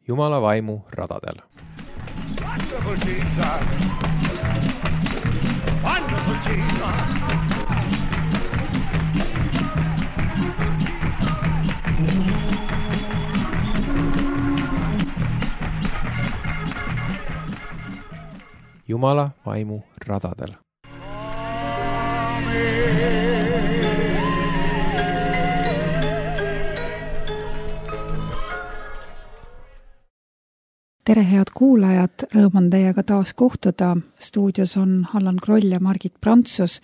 Jumala vaimu radadel. Wonderful Jesus! Wonderful Jesus! Jumala vaimu radadel. Tere, head kuulajad, rõõm on teiega taas kohtuda. Stuudios on Allan Kroll ja Margit Prantsus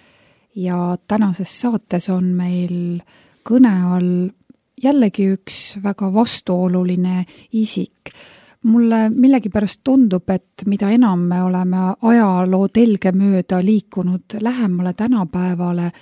ja tänases saates on meil kõne all jällegi üks väga vastuoluline isik. Mulle millegipärast tundub, et mida enam me oleme ajaloo telge mööda liikunud lähemale tänapäevale,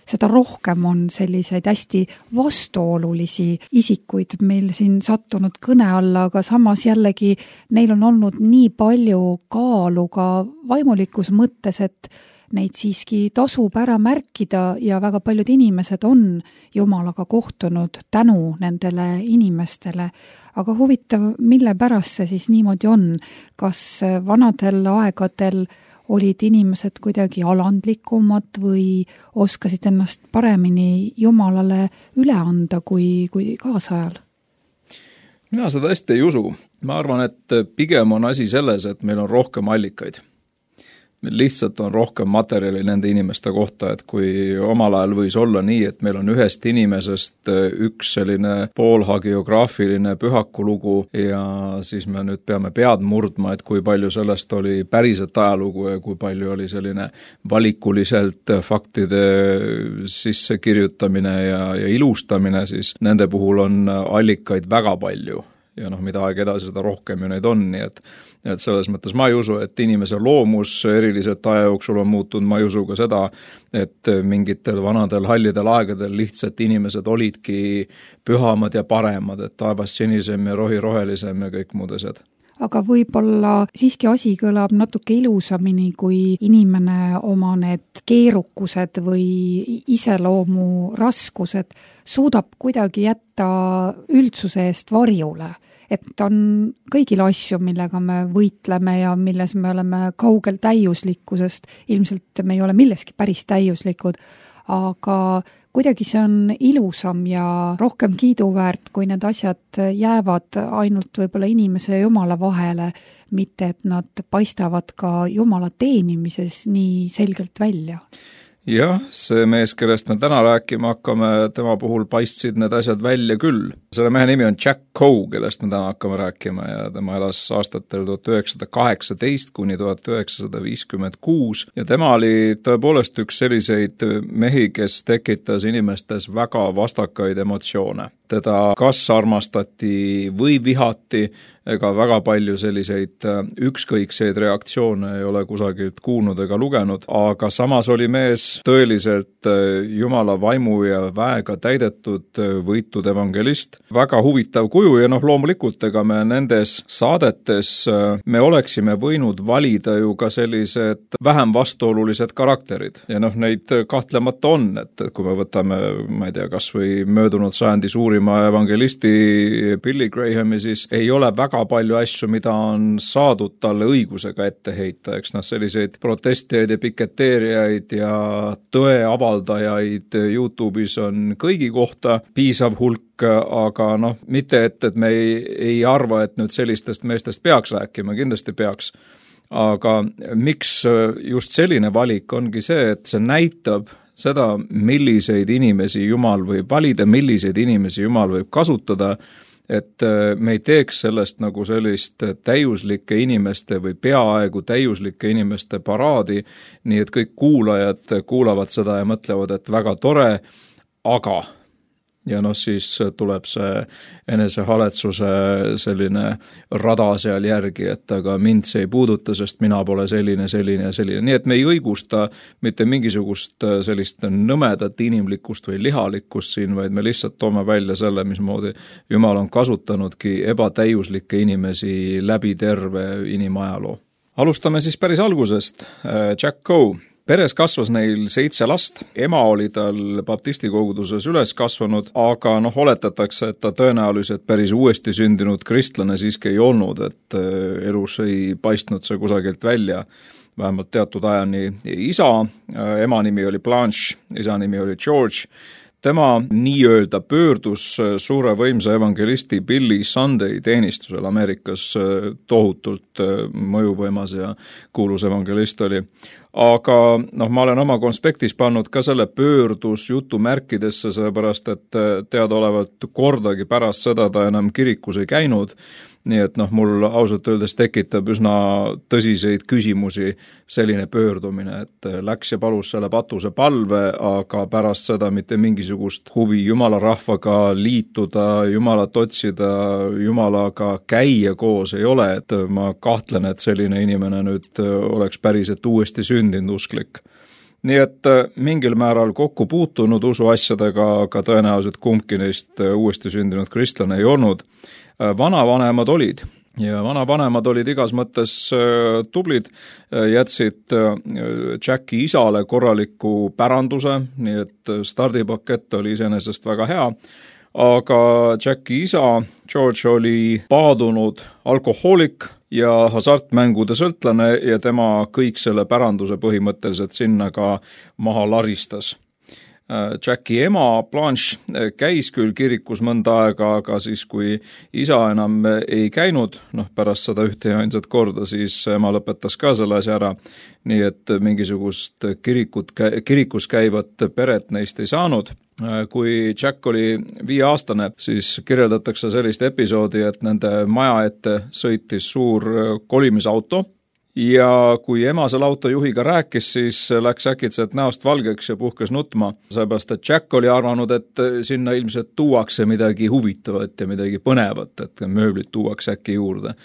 seda rohkem on selliseid hästi vastuolulisi isikuid meil siin sattunud kõne alla, aga samas jällegi neil on olnud nii palju kaalu ka vaimulikus mõttes, et neid siiski tasub ära märkida ja väga paljud inimesed on Jumalaga kohtunud tänu nendele inimestele. Aga huvitav, mille pärast see siis niimoodi on? Kas vanadel aegadel olid inimesed kuidagi alandlikumad või oskasid ennast paremini Jumalale üle anda kui kaasajal? Mina seda hästi ei usu. Ma arvan, et pigem on asi selles, et meil on rohkem allikaid. Meil lihtsalt on rohkem materjali nende inimeste kohta, et kui omal ajal võis olla nii, et meil on ühest inimesest üks selline poolhagiograafiline pühakulugu ja siis me nüüd peame pead murdma, et kui palju sellest oli päriselt ajalugu ja kui palju oli selline valikuliselt faktide sisse kirjutamine ja ilustamine, siis nende puhul on allikaid väga palju. Ja mida aeg edasi, seda rohkem ju neid on, nii et selles mõttes ma ei usu, et inimese loomus eriliselt aja jooksul on muutunud, ma ei usu ka seda, et mingitel vanadel hallidel aegadel lihtsalt inimesed olidki pühamad ja paremad, et taevas sinisem ja rohi rohelisem ja kõik muud asjad. Aga võib-olla siiski asi kõlab natuke ilusamini, kui inimene oma need keerukused või iseloomu raskused suudab kuidagi jätta üldsuse eest varjule. Et on kõigil asju, millega me võitleme ja milles me oleme kaugel täiuslikkusest. Ilmselt me ei ole milleski päris täiuslikud, aga kuidagi see on ilusam ja rohkem kiiduväärt, kui need asjad jäävad ainult võib-olla inimese ja Jumala vahele, mitte et nad paistavad ka Jumala teenimises nii selgelt välja. Jah, see mees, kellest me täna rääkima hakkame, tema puhul paistsid need asjad välja küll. Selle mehe nimi on Jack Coe, kellest me täna hakkame rääkima ja tema elas aastatel 1918 kuni 1956 ja tema oli tõepoolest üks selliseid mehi, kes tekitas inimestes väga vastakaid emotsioone. Teda kas armastati või vihati, ega väga palju selliseid ükskõikseid reaktsioone ei ole kusagilt kuulnud ega lugenud, aga samas oli mees tõeliselt Jumala vaimu ja väega täidetud võitud evangelist. Väga huvitav kuju ja loomulikult ega me nendes saadetes me oleksime võinud valida ju ka sellised vähem vastuolulised karakterid. Ja neid kahtlemata on, et kui me võtame, ma ei tea, kas või möödunud sajandi suurima evangelisti Billy Grahami, siis ei ole väga palju asju, mida on saadud talle õigusega ette heita, eks selliseid protestijaid ja piketeerijaid ja tõe avaldajaid YouTube'is on kõigi kohta piisav hulk, aga mitte et me ei arva, et nüüd sellistest meestest peaks rääkima, kindlasti peaks. Aga miks just selline valik ongi see, et see näitab seda, milliseid inimesi Jumal võib valida, milliseid inimesi Jumal võib kasutada, et me ei teeks sellest nagu sellist täiuslike inimeste või peaaegu täiuslike inimeste paraadi, nii et kõik kuulajad kuulavad seda ja mõtlevad, et väga tore, aga ja siis tuleb see enesehaletsuse selline rada seal järgi, et aga mind see ei puuduta, sest mina pole selline ja selline. Nii et me ei õigusta mitte mingisugust sellist nõmedat inimlikkust või lihalikkust siin, vaid me lihtsalt toome välja selle, mismoodi Jumal on kasutanudki ebatäiuslikke inimesi läbi terve inimajaloo. Alustame siis päris algusest. Jack Coe. Peres kasvas neil 7 last, ema oli tal baptisti koguduses üles kasvanud, aga oletatakse, et ta tõenäoliselt päris uuesti sündinud kristlane siiski ei olnud, et elus ei paistnud see kusagilt välja, vähemalt teatud ajani. Isa, ema nimi oli Blanche, isa nimi oli George. Tema nii-öelda pöördus suure võimsa evangelisti Billy Sunday teenistusel Ameerikas, tohutult mõjuvõimas ja kuulus evangelist oli. Aga ma olen oma konspektis pannud ka selle pöördus jutumärkidesse, sellepärast et teadaolevalt kordagi pärast seda ta enam kirikus ei käinud, nii et mul ausalt öeldes tekitab üsna tõsiseid küsimusi selline pöördumine, et läks ja palus selle patuse palve, aga pärast seda mitte mingisugust huvi Jumala rahvaga liituda, Jumalat otsida, Jumalaga käia koos ei ole, et ma kahtlen, et selline inimene nüüd oleks päriselt uuesti sündinud usklik. Nii et mingil määral kokku puutunud usuasjadega, aga tõenäoliselt kumbki neist uuesti sündinud kristlane ei olnud. Vanavanemad olid ja vanavanemad olid igas mõttes tublid, jätsid Jacki isale korraliku päranduse, nii et stardipakett oli iseenesest väga hea, aga Jacki isa George oli paadunud alkohoolik ja hasartmängude sõltlane ja tema kõik selle päranduse põhimõtteliselt sinna ka maha laristas. Jacki ema Blanche käis küll kirikus mõnda aega, aga siis kui isa enam ei käinud, pärast seda ühte ja ainsat korda, siis ema lõpetas ka selle asja ära, nii et mingisugust kirikus käivat peret neist ei saanud. Kui Jack oli 5-aastane, siis kirjeldatakse sellist episoodi, et nende maja ette sõitis suur kolimisauto, ja kui ema selle autojuhiga rääkis, siis läks äkitselt näost valgeks ja puhkes nutma, sellepärast et Jack oli arvanud, et sinna ilmselt tuuakse midagi huvitavat ja midagi põnevat, et mööblit tuuakse äkki juurde.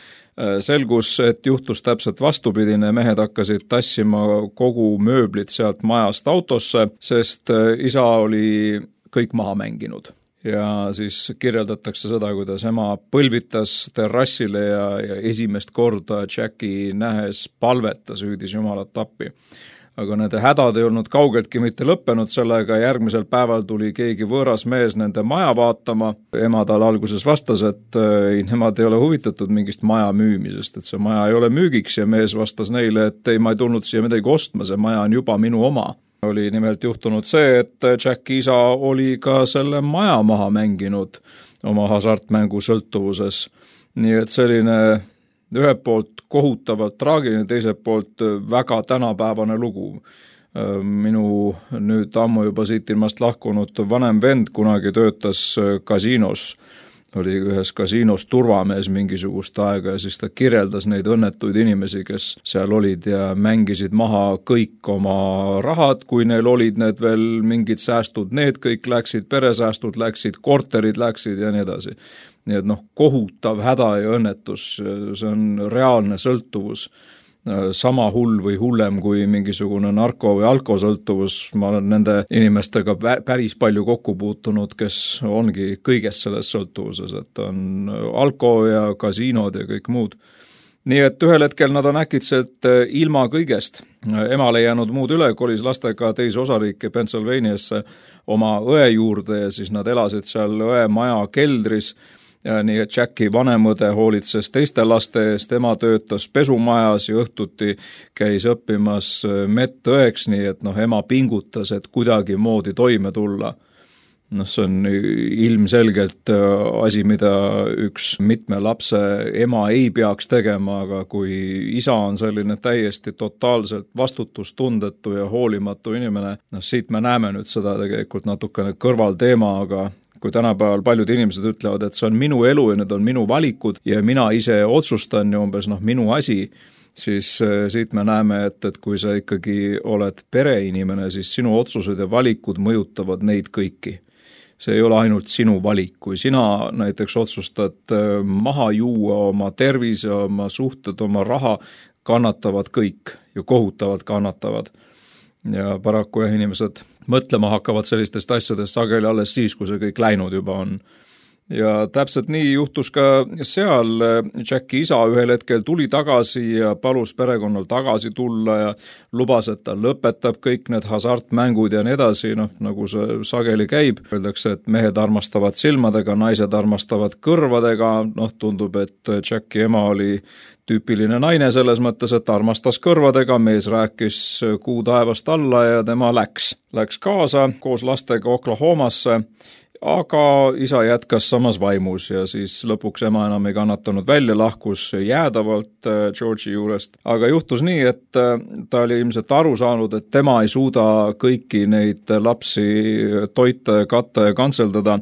Selgus, et juhtus täpselt vastupidine, mehed hakkasid tassima kogu mööblit sealt majast autosse, sest isa oli kõik maha mänginud. Ja siis kirjeldatakse seda, kuidas ema põlvitas terrassile ja esimest korda Jacki nähes palvetas, hüüdis Jumalat appi. Aga nende hädad ei olnud kaugeltki mitte lõppenud sellega, järgmisel päeval tuli keegi võõras mees nende maja vaatama. Ema tal alguses vastas, et nemad ei ole huvitatud mingist maja müümisest, et see maja ei ole müügiks ja mees vastas neile, et ei, ma ei tulnud siia midagi ostma, see maja on juba minu oma. Oli nimelt juhtunud see, et Jacki isa oli ka selle maja maha mänginud oma hasartmängu sõltuvuses. Nii et selline ühelt poolt kohutavalt traagiline, teiselt poolt väga tänapäevane lugu. Minu nüüd ammu juba siit ilmast lahkunud vanem vend kunagi töötas kasiinos, oli ühes kasiinos turvamees mingisugust aega ja siis ta kirjeldas neid õnnetuid inimesi, kes seal olid ja mängisid maha kõik oma rahad, kui neil olid need veel mingid säästud, need kõik läksid, peresäästud läksid, korterid läksid ja nii edasi. Nii et kohutav häda ja õnnetus, see on reaalne sõltuvus. Sama hull või hullem kui mingisugune narko- või alkosõltuvus. Ma olen nende inimestega päris palju kokku puutunud, kes ongi kõigest selles sõltuvuses, et on alko ja kasiinod ja kõik muud. Nii et ühel hetkel nad on äkitselt ilma kõigest. Emal ei jäänud muud üle, kolis lastega teise osariiki Pennsylvaniasse oma õe juurde ja siis nad elasid seal õe maja keldris. Ja nii et Jacki vanemõde hoolitses teiste laste eest, ema töötas pesumajas ja õhtuti käis õppimas medõeks, nii et ema pingutas, et kuidagi moodi toime tulla. See on ilmselgelt asi, mida üks mitme lapse ema ei peaks tegema, aga kui isa on selline täiesti totaalselt vastutustundetu ja hoolimatu inimene, siit me näeme nüüd seda tegelikult natukene kõrvalteema, aga kui tänapäeval paljud inimesed ütlevad, et see on minu elu ja need on minu valikud ja mina ise otsustan ja umbes minu asi, siis siit me näeme, et kui sa ikkagi oled pereinimene, siis sinu otsused ja valikud mõjutavad neid kõiki. See ei ole ainult sinu valik, kui sina näiteks otsustad maha juua oma tervise, oma suhted, oma raha, kannatavad kõik ja kohutavalt kannatavad. Ja paraku inimesed mõtlema hakkavad sellistest asjadest sageli alles siis, kui see kõik läinud juba on. ja täpselt nii juhtus ka seal. Jacki isa ühel hetkel tuli tagasi ja palus perekonnal tagasi tulla ja lubas, et ta lõpetab kõik need hasartmängud ja nii edasi, nagu see sageli käib. Öeldakse, et mehed armastavad silmadega, naised armastavad kõrvadega. Tundub, et Jacki ema oli tüüpiline naine selles mõttes, et armastas kõrvadega, mees rääkis kuu taevast alla ja tema läks kaasa koos lastega Oklahomasse. Aga isa jätkas samas vaimus ja siis lõpuks ema enam ei kannatanud välja, lahkus jäädavalt George'i juurest. Aga juhtus nii, et ta oli ilmselt aru saanud, et tema ei suuda kõiki neid lapsi toita, katta ja kantseldada,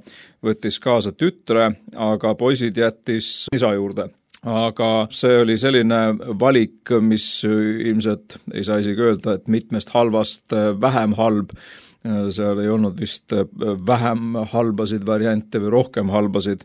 võttis kaasa tütre, aga poisid jättis isa juurde. Aga see oli selline valik, mis ilmselt ei saa isegi öelda, et mitmest halvast vähem halb. Seal ei olnud vist vähem halbasid variante või rohkem halbasid,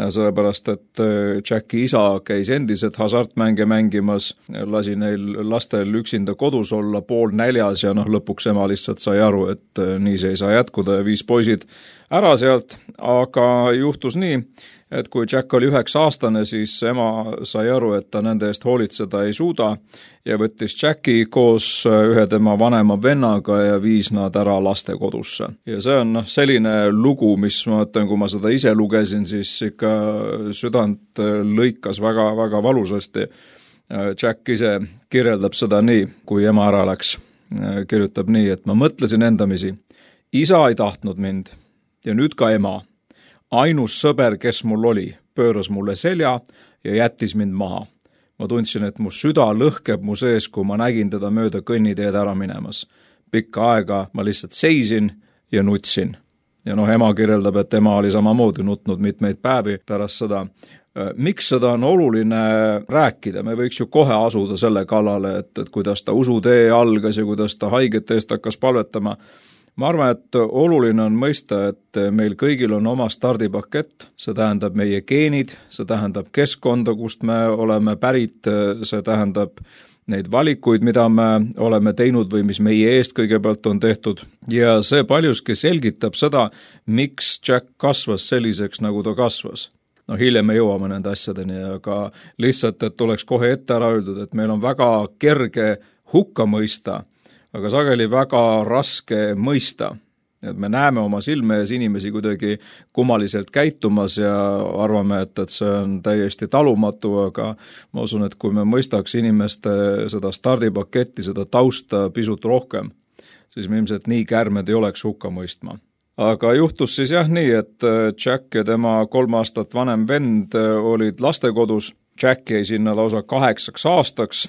sellepärast et Jacki isa käis endiselt hasartmänge mängimas, lasi neil lastel üksinda kodus olla 3:30 ja lõpuks ema lihtsalt sai aru, et nii see ei saa jätkuda ja viis poisid ära sealt. Aga juhtus nii, et kui Jack oli 9-aastane, siis ema sai aru, et ta nende eest hoolitseda ei suuda ja võttis Jacki koos ühe tema vanema vennaga ja viis nad ära lastekodusse. Ja see on selline lugu, mis ma mõtlen, kui ma seda ise lugesin, siis ikka südant lõikas väga valusasti. Jack ise kirjeldab seda nii, kui ema ära läks. Kirjutab nii, et ma mõtlesin endamisi, isa ei tahtnud mind ja nüüd ka ema. Ainus sõber, kes mul oli, pööras mulle selja ja jättis mind maha. Ma tundsin, et mu süda lõhkeb mu sees, kui ma nägin teda mööda kõnniteed ära minemas. Pikka aega ma lihtsalt seisin ja nutsin. Ja ema kirjeldab, et ema oli samamoodi nutnud mitmeid päevi pärast seda. Miks seda on oluline rääkida? Me võiks ju kohe asuda selle kallale, et kuidas ta usutee algas ja kuidas ta haigete eest hakkas palvetama. Ma arvan, et oluline on mõista, et meil kõigil on oma stardipakett, see tähendab meie geenid, see tähendab keskkonda, kust me oleme pärit, see tähendab neid valikuid, mida me oleme teinud või mis meie eest kõigepealt on tehtud. Ja see paljuski selgitab seda, miks Jack kasvas selliseks, nagu ta kasvas. Hiljem me jõuame nende asjadeni, aga lihtsalt, et oleks kohe ette ära öeldud, et meil on väga kerge hukka mõista, aga sageli väga raske mõista. Et me näeme oma silme ees inimesi kuidagi kummaliselt käitumas ja arvame, et see on täiesti talumatu, aga ma usun, et kui me mõistaks inimeste seda stardipaketti, seda tausta pisut rohkem, siis me ilmselt nii kärmed ei oleks hukka mõistma. Aga juhtus siis nii, et Jack ja tema 3 aastat vanem vend olid lastekodus. Jack jäi sinna lausa 8 aastaks.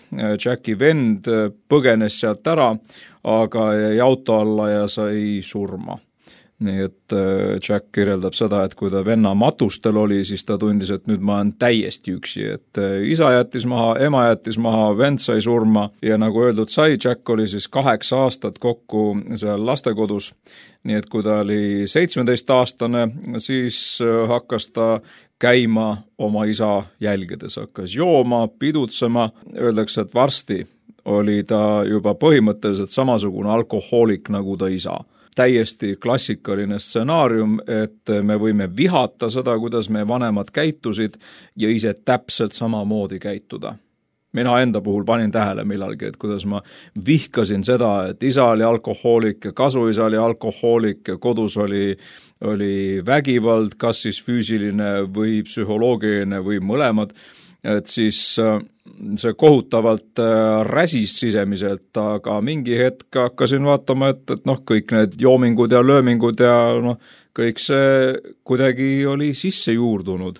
Jacki vend põgenes sealt ära, aga jäi auto alla ja sai surma. Nii et Jack kirjeldab seda, et kui ta venna matustel oli, siis ta tundis, et nüüd ma olen täiesti üksi, et isa jättis maha, ema jättis maha, vend sai surma ja nagu öeldud sai, Jack oli siis 8 aastat kokku seal lastekodus. Nii et kui ta oli 17-aastane, siis hakkas ta käima oma isa jälgedes, hakkas jooma, pidutsema. Öeldakse, et varsti oli ta juba põhimõtteliselt samasugune alkohoolik nagu ta isa. Täiesti klassikaline stsenaarium, et me võime vihata seda, kuidas meie vanemad käitusid ja ise täpselt samamoodi käituda. Mina enda puhul panin tähele millalgi, et kuidas ma vihkasin seda, et isa oli alkohoolik ja kasuisa oli alkohoolik ja kodus oli vägivald, kas siis füüsiline või psühholoogiline või mõlemad, et siis see kohutavalt räsis sisemiselt, aga mingi hetk hakkasin vaatama, et kõik need joomingud ja löömingud ja kõik see kuidagi oli sisse juurdunud.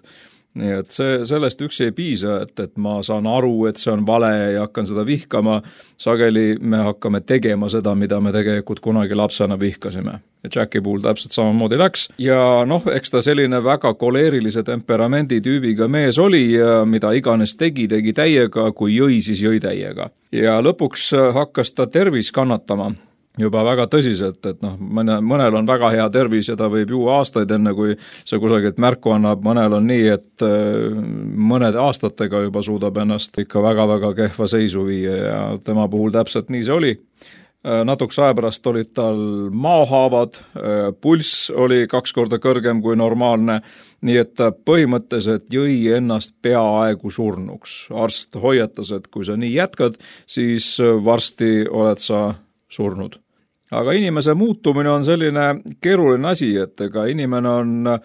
Nii et sellest üksi ei piisa, et ma saan aru, et see on vale ja hakkan seda vihkama. Sageli me hakkame tegema seda, mida me tegelikult kunagi lapsena vihkasime. Ja Jacki puhul täpselt samamoodi läks. Ja eks ta selline väga koleerilise temperamendi tüübiga mees oli ja mida iganes tegi täiega, kui jõi, siis jõi täiega. Ja lõpuks hakkas ta tervis kannatama. Juba väga tõsiselt, et mõnel on väga hea tervis ja ta võib juua aastaid enne, kui see kusagilt märku annab. Mõnel on nii, et mõned aastatega juba suudab ennast ikka väga-väga kehva seisu viia ja tema puhul täpselt nii see oli. Natukese aja pärast olid tal maahaavad, pulss oli 2 korda kõrgem kui normaalne, nii et ta põhimõtteliselt jõi ennast peaaegu surnuks. Arst hoiatas, et kui sa nii jätkad, siis varsti oled sa surnud. Aga inimese muutumine on selline keeruline asi, et ega inimene on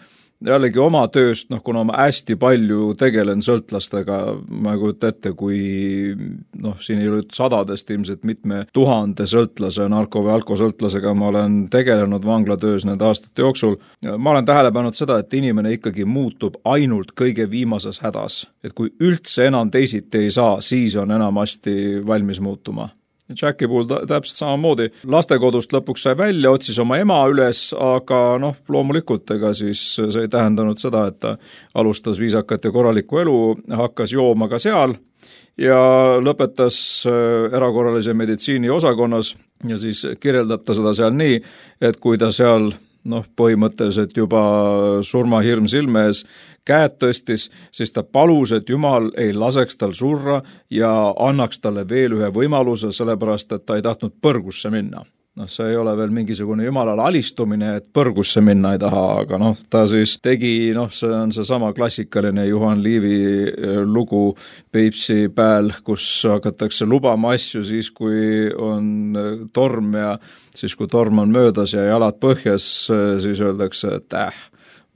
jällegi oma tööst, kuna ma hästi palju tegelen sõltlastega, ma ei kujuta ette, kui siin ei ole sadadest ilmselt mitme 1000 sõltlase, narko- või alkosõltlasega ma olen tegelenud vanglatöös nende aastate jooksul. Ma olen tähele pannud seda, et inimene ikkagi muutub ainult kõige viimases hädas. Et kui üldse enam teisiti ei saa, siis on enamasti valmis muutuma. Jacki puhul täpselt samamoodi. Lastekodust lõpuks sai välja, otsis oma ema üles, aga loomulikult ega siis see ei tähendanud seda, et ta alustas viisakat ja korralikku elu, hakkas jooma ka seal ja lõpetas erakorralise meditsiini osakonnas ja siis kirjeldab ta seda seal nii, et kui ta seal põhimõtteliselt juba surmahirm silme ees käed tõstis, siis ta palus, et Jumal ei laseks tal surra ja annaks talle veel ühe võimaluse, sellepärast et ta ei tahtnud põrgusse minna. See ei ole veel mingisugune Jumalale alistumine, et põrgusse minna ei taha, aga ta siis tegi, see on seesama klassikaline Juhan Liivi lugu Peipsi pääl, kus hakatakse lubama asju siis, kui on torm ja siis, kui torm on möödas ja jalad põhjas, siis öeldakse, et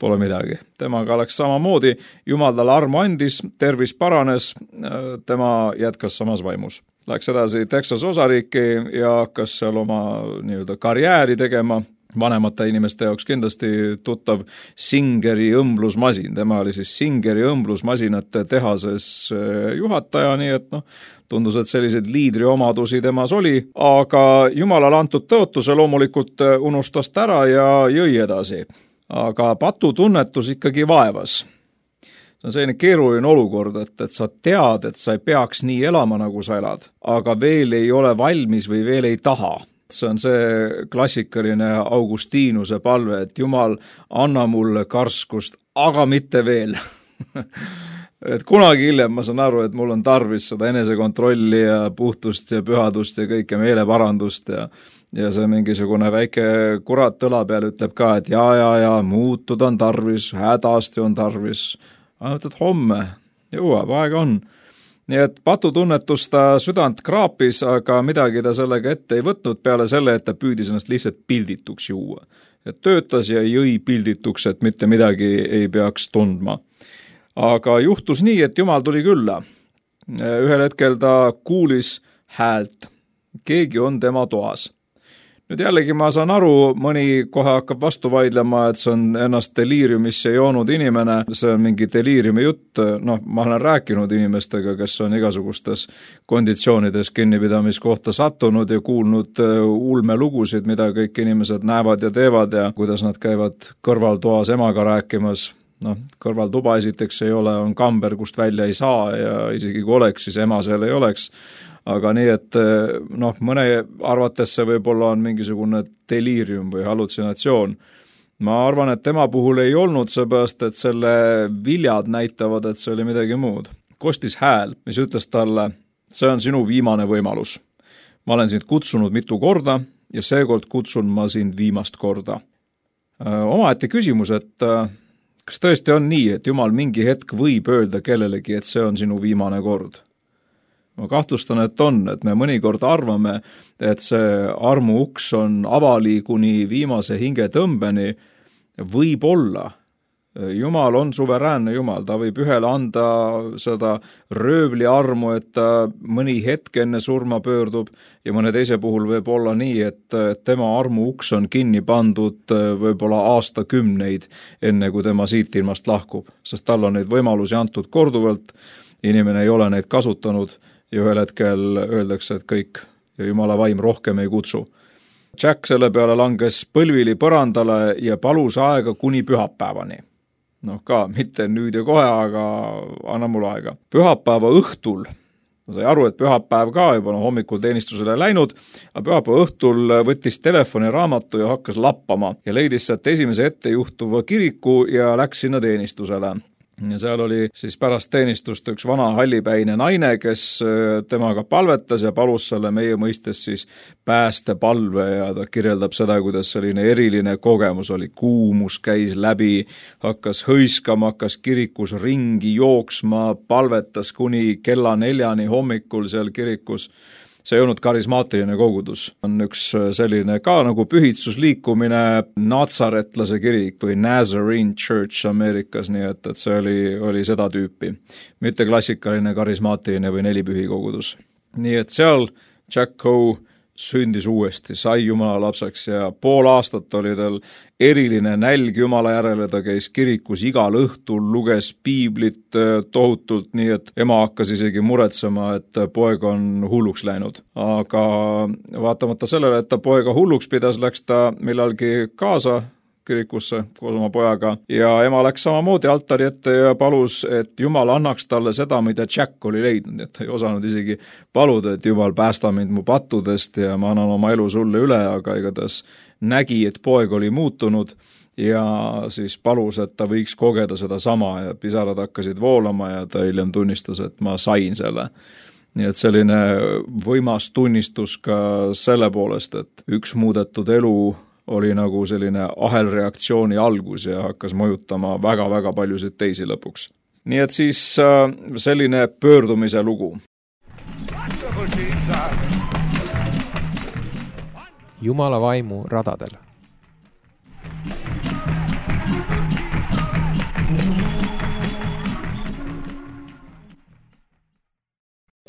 pole midagi. Temaga oleks samamoodi, Jumal talle armu andis, tervis paranes, tema jätkas samas vaimus. Läks edasi Texas osariiki ja hakkas seal oma karjääri tegema. Vanemate inimeste jaoks kindlasti tuttav Singeri õmblusmasin. Tema oli siis Singeri õmblusmasinate tehases juhataja, nii et tundus, et selliseid liidriomadusi temas oli, aga Jumalale antud tõotuse loomulikult unustas ära ja jõi edasi. Aga patutunnetus ikkagi vaevas. See on selline keeruline olukord, et sa tead, et sa ei peaks nii elama, nagu sa elad, aga veel ei ole valmis või veel ei taha. See on see klassikaline Augustiinuse palve, et Jumal, anna mulle karskust, aga mitte veel. Et kunagi hiljem ma saan aru, et mul on tarvis seda enesekontrolli ja puhtust ja pühadust ja kõike meeleparandust ja see mingisugune väike kurat õla peal ütleb ka, et ja, muutud on tarvis, hädasti on tarvis. Ainult, et homme jõuab, aega on. Nii et patutunnetus ta südant kraapis, aga midagi ta sellega ette ei võtnud peale selle, et ta püüdis ennast lihtsalt pildituks juua. Et töötas ja jõi pildituks, et mitte midagi ei peaks tundma. Aga juhtus nii, et Jumal tuli külla. Ühel hetkel ta kuulis häält. Keegi on tema toas. Nüüd jällegi ma saan aru, mõni kohe hakkab vastu vaidlema, et see on ennast deliiriumisse joonud inimene, see on mingi deliiriumi jutt, ma olen rääkinud inimestega, kes on igasugustes konditsioonides kinnipidamiskohta sattunud ja kuulnud ulmelugusid, mida kõik inimesed näevad ja teevad ja kuidas nad käivad kõrvaltoas emaga rääkimas. Kõrvaltuba esiteks ei ole, on kamber, kust välja ei saa ja isegi kui oleks, siis ema seal ei oleks. Aga nii, et mõne arvates see võib-olla on mingisugune deliirium või hallutsinatsioon. Ma arvan, et tema puhul ei olnud seepärast, et selle viljad näitavad, et see oli midagi muud. Kostis hääl, mis ütles talle, see on sinu viimane võimalus. Ma olen sind kutsunud mitu korda ja seekord kutsun ma sind viimast korda. Omaette küsimus, et kas tõesti on nii, et Jumal mingi hetk võib öelda kellelegi, et see on sinu viimane kord? Ma kahtlustan, et on, et me mõnikord arvame, et see armu uks on avali kuni viimase hingetõmbeni, võib olla. Jumal on suveräänne Jumal, ta võib ühele anda seda röövli armu, et ta mõni hetk enne surma pöördub ja mõne teise puhul võib olla nii, et tema armu uks on kinni pandud võib-olla aastakümneid enne, kui tema siit ilmast lahkub, sest tal on neid võimalusi antud korduvalt, inimene ei ole neid kasutanud ja ühel hetkel öeldakse, et kõik ja Jumala vaim rohkem ei kutsu. Jack selle peale langes põlvili põrandale ja palus aega kuni pühapäevani. Ka mitte nüüd ja kohe, aga anna mul aega. Pühapäeva õhtul, sai aru, et pühapäev ka juba hommikul teenistusele läinud, aga pühapäeva õhtul võttis telefoni raamatu ja hakkas lappama ja leidis sealt esimese ette juhtuva kiriku ja läks sinna teenistusele. ja seal oli siis pärast teenistust üks vana hallipäine naine, kes temaga palvetas ja palus selle meie mõistes siis päästepalve ja ta kirjeldab seda, kuidas selline eriline kogemus oli. Kuumus käis läbi, hakkas hõiskama, hakkas kirikus ringi jooksma, palvetas kuni kella 4 hommikul seal kirikus. See ei olnud karismaatiline kogudus. On üks selline ka nagu pühitsusliikumine natsaretlase kirik või Nazarene Church Ameerikas, nii et see oli seda tüüpi. Mitte klassikaline karismaatiline või nelipühi kogudus. Nii et seal Jack Coe sündis uuesti, sai Jumala lapseks ja pool aastat oli tal eriline nälg Jumala järele, ta käis kirikus igal õhtul, luges piiblit tohutult, nii et ema hakkas isegi muretsema, et poeg on hulluks läinud. Aga vaatamata sellele, et ta poega hulluks pidas, läks ta millalgi kaasa kirikusse koos oma pojaga ja ema läks samamoodi altari ette ja palus, et Jumal annaks talle seda, mida Jack oli leidnud, et ta ei osanud isegi paluda, et Jumal päästa mind mu pattudest ja ma annan oma elu sulle üle, aga igatahes nägi, et poeg oli muutunud ja siis palus, et ta võiks kogeda seda sama ja pisarad hakkasid voolama ja ta hiljem tunnistas, et ma sain selle. Nii et selline võimas tunnistus ka selle poolest, et üks muudetud elu oli nagu selline ahelreaktsiooni algus ja hakkas mõjutama väga-väga paljusid teisi lõpuks. Nii et siis selline pöördumise lugu. Jumala vaimu radadel.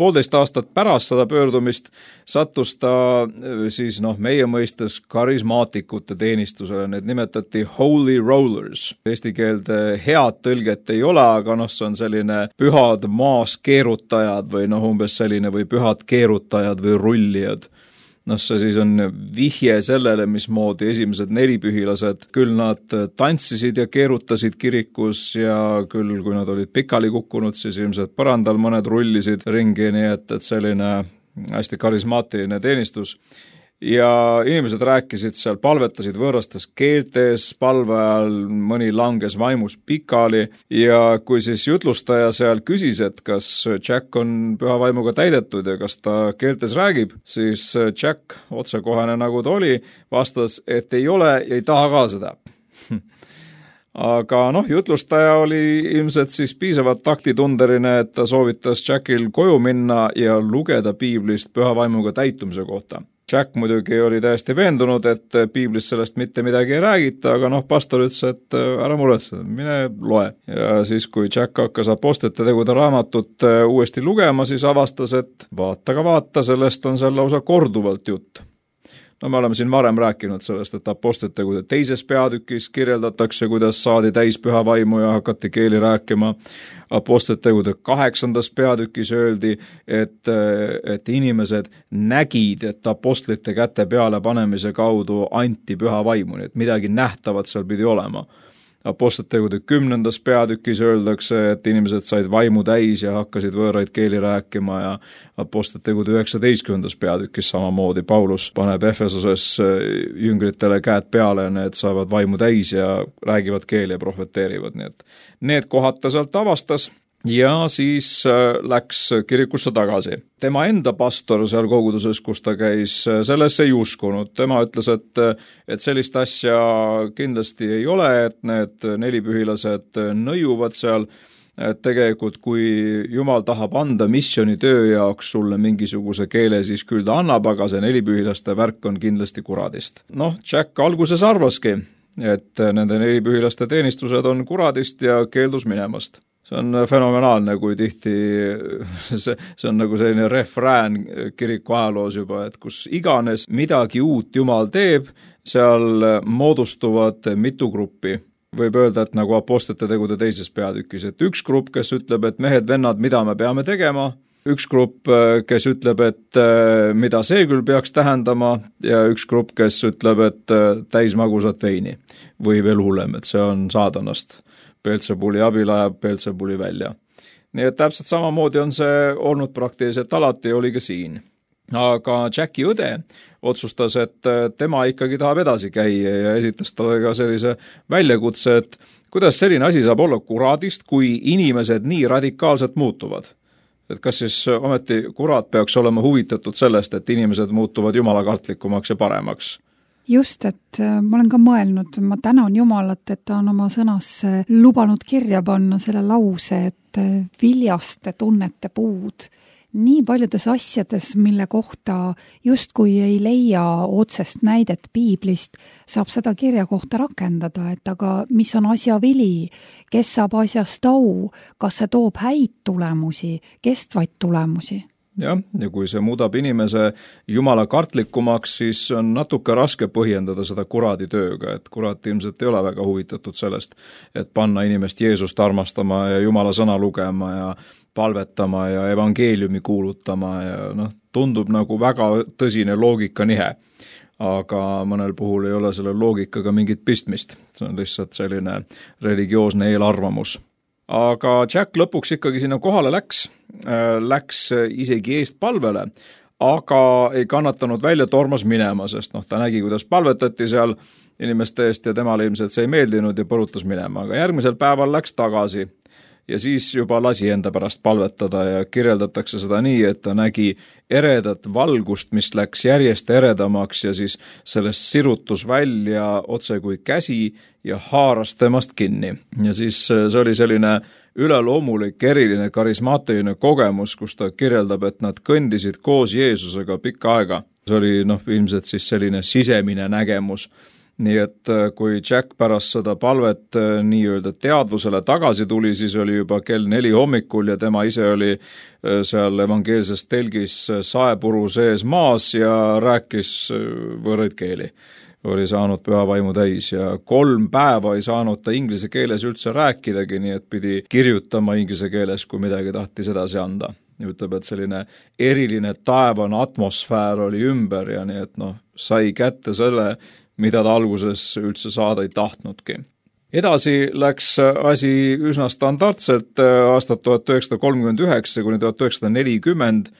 Poolteist aastat pärast seda pöördumist sattus ta siis meie mõistes karismaatikute teenistusele, need nimetati Holy Rollers. Eesti keelde head tõlget ei ole, aga see on selline pühad maas keerutajad või umbes selline või pühad keerutajad või rullijad. See siis on vihje sellele, mismoodi esimesed nelipühilased, küll nad tantsisid ja keerutasid kirikus ja küll, kui nad olid pikali kukkunud, siis ilmselt põrandal mõned rullisid ringi, nii et selline hästi karismaatiline teenistus. Ja inimesed rääkisid seal, palvetasid võõrastes keeltes, palve ajal mõni langes vaimus pikali ja kui siis jutlustaja seal küsis, et kas Jack on püha vaimuga täidetud ja kas ta keeltes räägib, siis Jack, otsekohane nagu ta oli, vastas, et ei ole ja ei taha ka seda. Aga jutlustaja oli ilmselt siis piisavalt taktitundeline, et ta soovitas Jackil koju minna ja lugeda piiblist püha vaimuga täitumise kohta. Jack muidugi oli täiesti veendunud, et piiblis sellest mitte midagi ei räägita, aga pastor ütles, et ära muretse, mine loe. Ja siis, kui Jack hakkas Apostlite tegude raamatut uuesti lugema, siis avastas, et vaata, sellest on seal lausa korduvalt jutt. Me oleme siin varem rääkinud sellest, et Apostlite tegude teises peatükis kirjeldatakse, kuidas saadi täis püha vaimu ja hakati keeli rääkima. Apostlite tegude 8. peatükis öeldi, et inimesed nägid, et apostlite käte peale panemise kaudu anti püha vaimu, nii et midagi nähtavat seal pidi olema. Apostlite tegude 10. peatükis öeldakse, et inimesed said vaimu täis ja hakkasid võõraid keeli rääkima ja Apostlite tegude 19. peatükis samamoodi Paulus paneb Efesoses jüngritele käed peale ja need saavad vaimu täis ja räägivad keeli ja profeteerivad, nii et need kohad ta sealt avastas ja siis läks kirikusse tagasi. Tema enda pastor seal koguduses, kus ta käis, sellesse ei uskunud. Tema ütles, et sellist asja kindlasti ei ole, et need nelipühilased nõiuvad seal, et tegelikult kui Jumal tahab anda missiooni töö jaoks sulle mingisuguse keele, siis küll ta annab, aga see nelipühilaste värk on kindlasti kuradist. Jack alguses arvaski, et nende nelipühilaste teenistused on kuradist ja keeldus minemast. See on fenomenaalne, kui tihti see on nagu selline refrään kiriku ajaloos juba, et kus iganes midagi uut Jumal teeb, seal moodustuvad mitu gruppi. Võib öelda, et nagu Apostlite tegude teises peatükis, et üks grupp, kes ütleb, et mehed, vennad, mida me peame tegema, üks grupp, kes ütleb, et mida see küll peaks tähendama ja üks grupp, kes ütleb, et täis magusat veini või veel hullem, et see on saadanast. Beelzebuli abil ajab Beelzebuli välja. Nii et täpselt samamoodi on see olnud praktiliselt alati ja oli ka siin. aga Jacki õde otsustas, et tema ikkagi tahab edasi käia ja esitas talle ka sellise väljakutse, et kuidas selline asi saab olla kuradist, kui inimesed nii radikaalselt muutuvad. Et kas siis ometi kurat peaks olema huvitatud sellest, et inimesed muutuvad jumalakartlikumaks ja paremaks? Just, et ma olen ka mõelnud, ma tänan Jumalat, et ta on oma sõnasse lubanud kirja panna selle lause, et viljaste tunnete puud. Nii paljudes asjades, mille kohta justkui ei leia otsest näidet piiblist, saab seda kirja kohta rakendada, et aga mis on asja vili, kes saab asjast au, kas see toob häid tulemusi, kestvaid tulemusi? Jah, ja kui see muudab inimese jumala kartlikumaks, siis on natuke raske põhjendada seda kuradi tööga, et kurat ilmselt ei ole väga huvitatud sellest, et panna inimest Jeesust armastama ja jumala sõna lugema ja palvetama ja evangeeliumi kuulutama ja tundub nagu väga tõsine loogikanihe. Aga mõnel puhul ei ole selle loogikaga mingit pistmist, see on lihtsalt selline religioosne eelarvamus. Aga Jack lõpuks ikkagi sinna kohale läks isegi eest palvele, aga ei kannatanud välja, tormas minema, sest ta nägi, kuidas palvetati seal inimeste eest ja temale ilmselt see ei meeldinud ja põrutas minema. Aga järgmisel päeval läks tagasi ja siis juba lasi enda pärast palvetada ja kirjeldatakse seda nii, et ta nägi eredat valgust, mis läks järjest eredamaks ja siis sellest sirutus välja otse kui käsi ja haaras temast kinni. Ja siis see oli selline üleloomulik, eriline, karismaatiline kogemus, kus ta kirjeldab, et nad kõndisid koos Jeesusega pikka aega. See oli ilmselt siis selline sisemine nägemus. Nii et kui Jack pärast seda palvet nii-öelda teadvusele tagasi tuli, siis oli juba kell 4 hommikul ja tema ise oli seal evangeelses telgis saepuru sees maas ja rääkis võõraid keeli. Oli saanud püha vaimu täis ja 3 päeva ei saanud ta inglise keeles üldse rääkidagi, nii et pidi kirjutama inglise keeles, kui midagi tahtis edasi anda. Ütleb, et selline eriline taevane atmosfäär oli ümber ja nii et sai kätte selle, mida ta alguses üldse saada ei tahtnudki. Edasi läks asi üsna standardselt aastat 1939 kuni 1940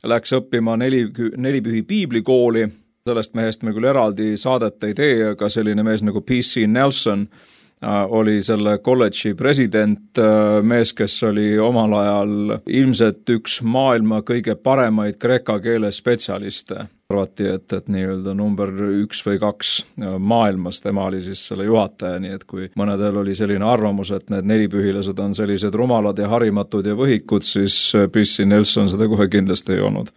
läks õppima nelipühi piiblikooli. Sellest mehest me küll eraldi saadet ei tee, aga selline mees nagu P.C. Nelson oli selle kolledži president, mees, kes oli omal ajal ilmselt üks maailma kõige paremaid kreeka keele spetsialiste. Arvati, et nii-öelda number 1 või 2 maailmas, tema oli siis selle juhataja, nii et kui mõnedel oli selline arvamus, et need nelipühilased on sellised rumalad ja harimatud ja võhikud, siis P.C. Nelson seda kohe kindlasti ei olnud.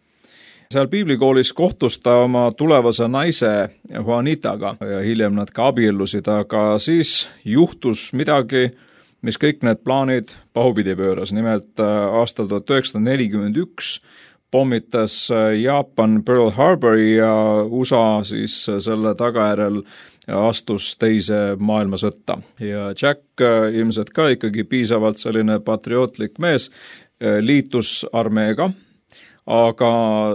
Seal piiblikoolis kohtus ta oma tulevase naise Juanitaga ja hiljem nad ka abiellusid, aga siis juhtus midagi, mis kõik need plaanid pahupidi pööras. Nimelt aastal 1941 pommitas Jaapan Pearl Harbori ja USA siis selle tagajärjel astus teise maailmasõtta. Ja Jack ilmselt ka ikkagi piisavalt selline patriootlik mees liitus armeega, aga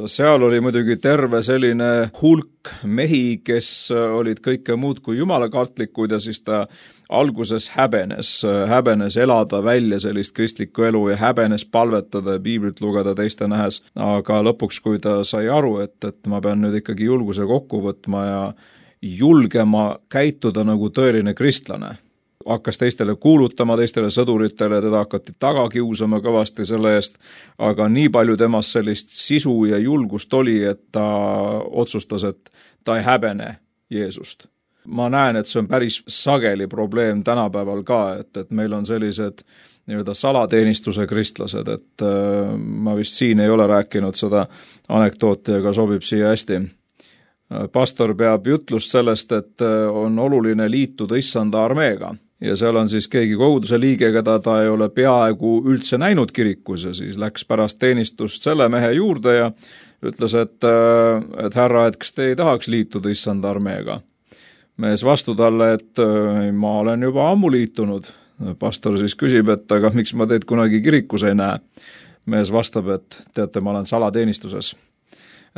seal oli muidugi terve selline hulk mehi, kes olid kõike muud kui jumalakartlikud ja siis ta alguses häbenes elada välja sellist kristlikku elu ja häbenes palvetada ja piiblit lugeda teiste nähes. Aga lõpuks, kui ta sai aru, et ma pean nüüd ikkagi julguse kokku võtma ja julgema käituda nagu tõeline kristlane, hakkas teistele kuulutama, teistele sõduritele, teda hakati taga kiusama kõvasti selle eest, aga nii palju temast sellist sisu ja julgust oli, et ta otsustas, et ta ei häbene Jeesust. Ma näen, et see on päris sageli probleem tänapäeval ka, et meil on sellised nii-öelda salateenistuse kristlased, et ma vist siin ei ole rääkinud seda anekdooti, aga sobib siia hästi. Pastor peab jutlust sellest, et on oluline liituda issanda armeega ja seal on siis keegi koguduse liige, keda ta ei ole peaaegu üldse näinud kirikus ja siis läks pärast teenistust selle mehe juurde ja ütles, et härra, et kas te ei tahaks liituda issanda armeega? Mees vastu talle, et ma olen juba ammu liitunud. Pastor siis küsib, et aga miks ma teid kunagi kirikus ei näe? Mees vastab, et teate, ma olen salateenistuses.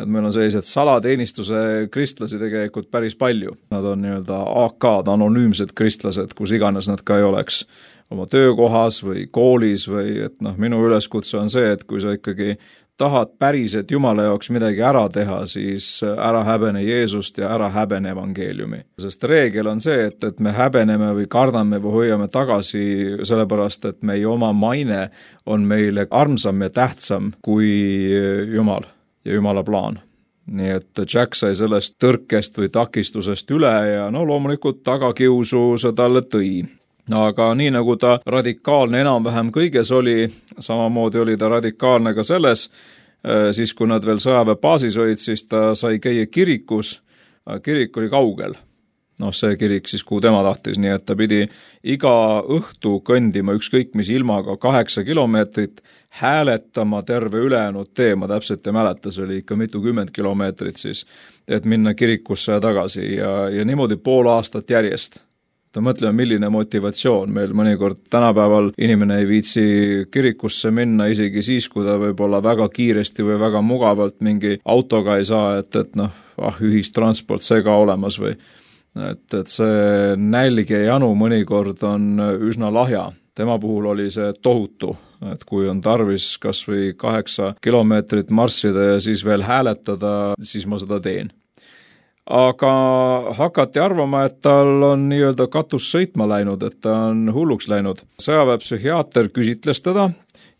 Et meil on sellised salateenistuse kristlasi tegelikult päris palju. Nad on nii-öelda AK-d, anonüümsed kristlased, kus iganes nad ka ei oleks oma töökohas või koolis või et minu üleskutse on see, et kui sa ikkagi tahad päriselt Jumala jaoks midagi ära teha, siis ära häbene Jeesust ja ära häbene evangeeliumi. Sest reegel on see, et me häbeneme või kardame või hoiame tagasi sellepärast, et meie oma maine on meile armsam ja tähtsam kui Jumal ja Jumala plaan. Nii et Jack sai sellest tõrkest või takistusest üle ja loomulikult tagakiusu see talle tõi. Aga nii nagu ta radikaalne enam-vähem kõiges oli, samamoodi oli ta radikaalne ka selles, siis kui nad veel sõjaväebaasis olid, siis ta sai käia kirikus, kirik oli kaugel. See kirik siis, kuhu tema tahtis, nii et ta pidi iga õhtu kõndima ükskõik mis ilmaga 8 kilomeetrit, hääletama terve ülejäänud tee, ma täpselt ei mäleta, see oli ikka mitukümmend kilomeetrit siis, et minna kirikusse ja tagasi ja niimoodi pool aastat järjest. Ta mõtleme, milline motivatsioon meil mõnikord tänapäeval inimene ei viitsi kirikusse minna isegi siis, kui ta võib-olla väga kiiresti või väga mugavalt mingi autoga ei saa, et ühistransport see ka olemas või et see nälg ja janu mõnikord on üsna lahja. Tema puhul oli see tohutu, et kui on tarvis kas või 8 kilomeetrit marssida ja siis veel hääletada, siis ma seda teen. Aga hakati arvama, et tal on nii-öelda katus sõitma läinud, et ta on hulluks läinud. Sõjaväepsühhiaater küsitles teda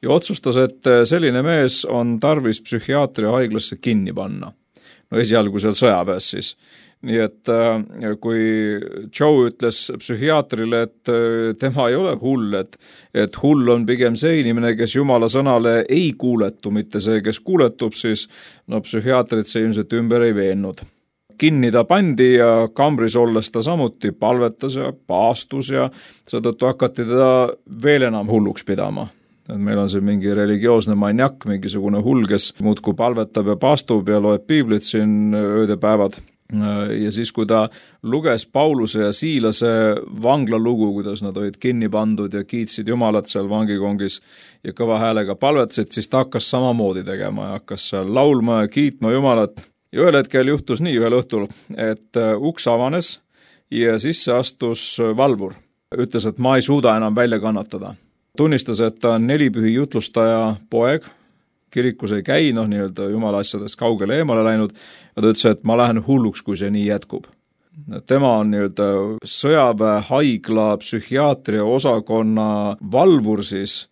ja otsustas, et selline mees on tarvis psühhiaatria haiglasse kinni panna. Esialgu seal sõjaväes siis. Nii et kui Joe ütles psühhiaatrile, et tema ei ole hull, et hull on pigem see inimene, kes Jumala sõnale ei kuuletu, mitte see, kes kuuletub, siis psühhiaatrit see ilmselt ümber ei veennud. Kinni ta pandi ja kambris olles ta samuti palvetas ja paastus ja seetõttu hakati teda veel enam hulluks pidama. Et meil on see mingi religioosne maniak, mingisugune hull, kes muudkui palvetab ja paastub ja loeb piiblit siin ööd ja päevad. Ja siis, kui ta luges Pauluse ja Siilase vanglalugu, kuidas nad olid kinni pandud ja kiitsid Jumalat seal vangikongis ja kõva häälega palvetasid, siis ta hakkas samamoodi tegema ja hakkas seal laulma ja kiitma Jumalat. Ja ühel hetkel juhtus nii ühel õhtul, et uks avanes ja sisse astus valvur. Ütles, et ma ei suuda enam välja kannatada. Tunnistas, et ta on 4 pühi jutlustaja poeg, kirikus ei käi, nii-öelda Jumala asjadest kaugele eemale läinud, ja ta ütles, et ma lähen hulluks, kui see nii jätkub. Tema on nii-öelda sõjaväehaigla psühhiaatria osakonna valvur siis,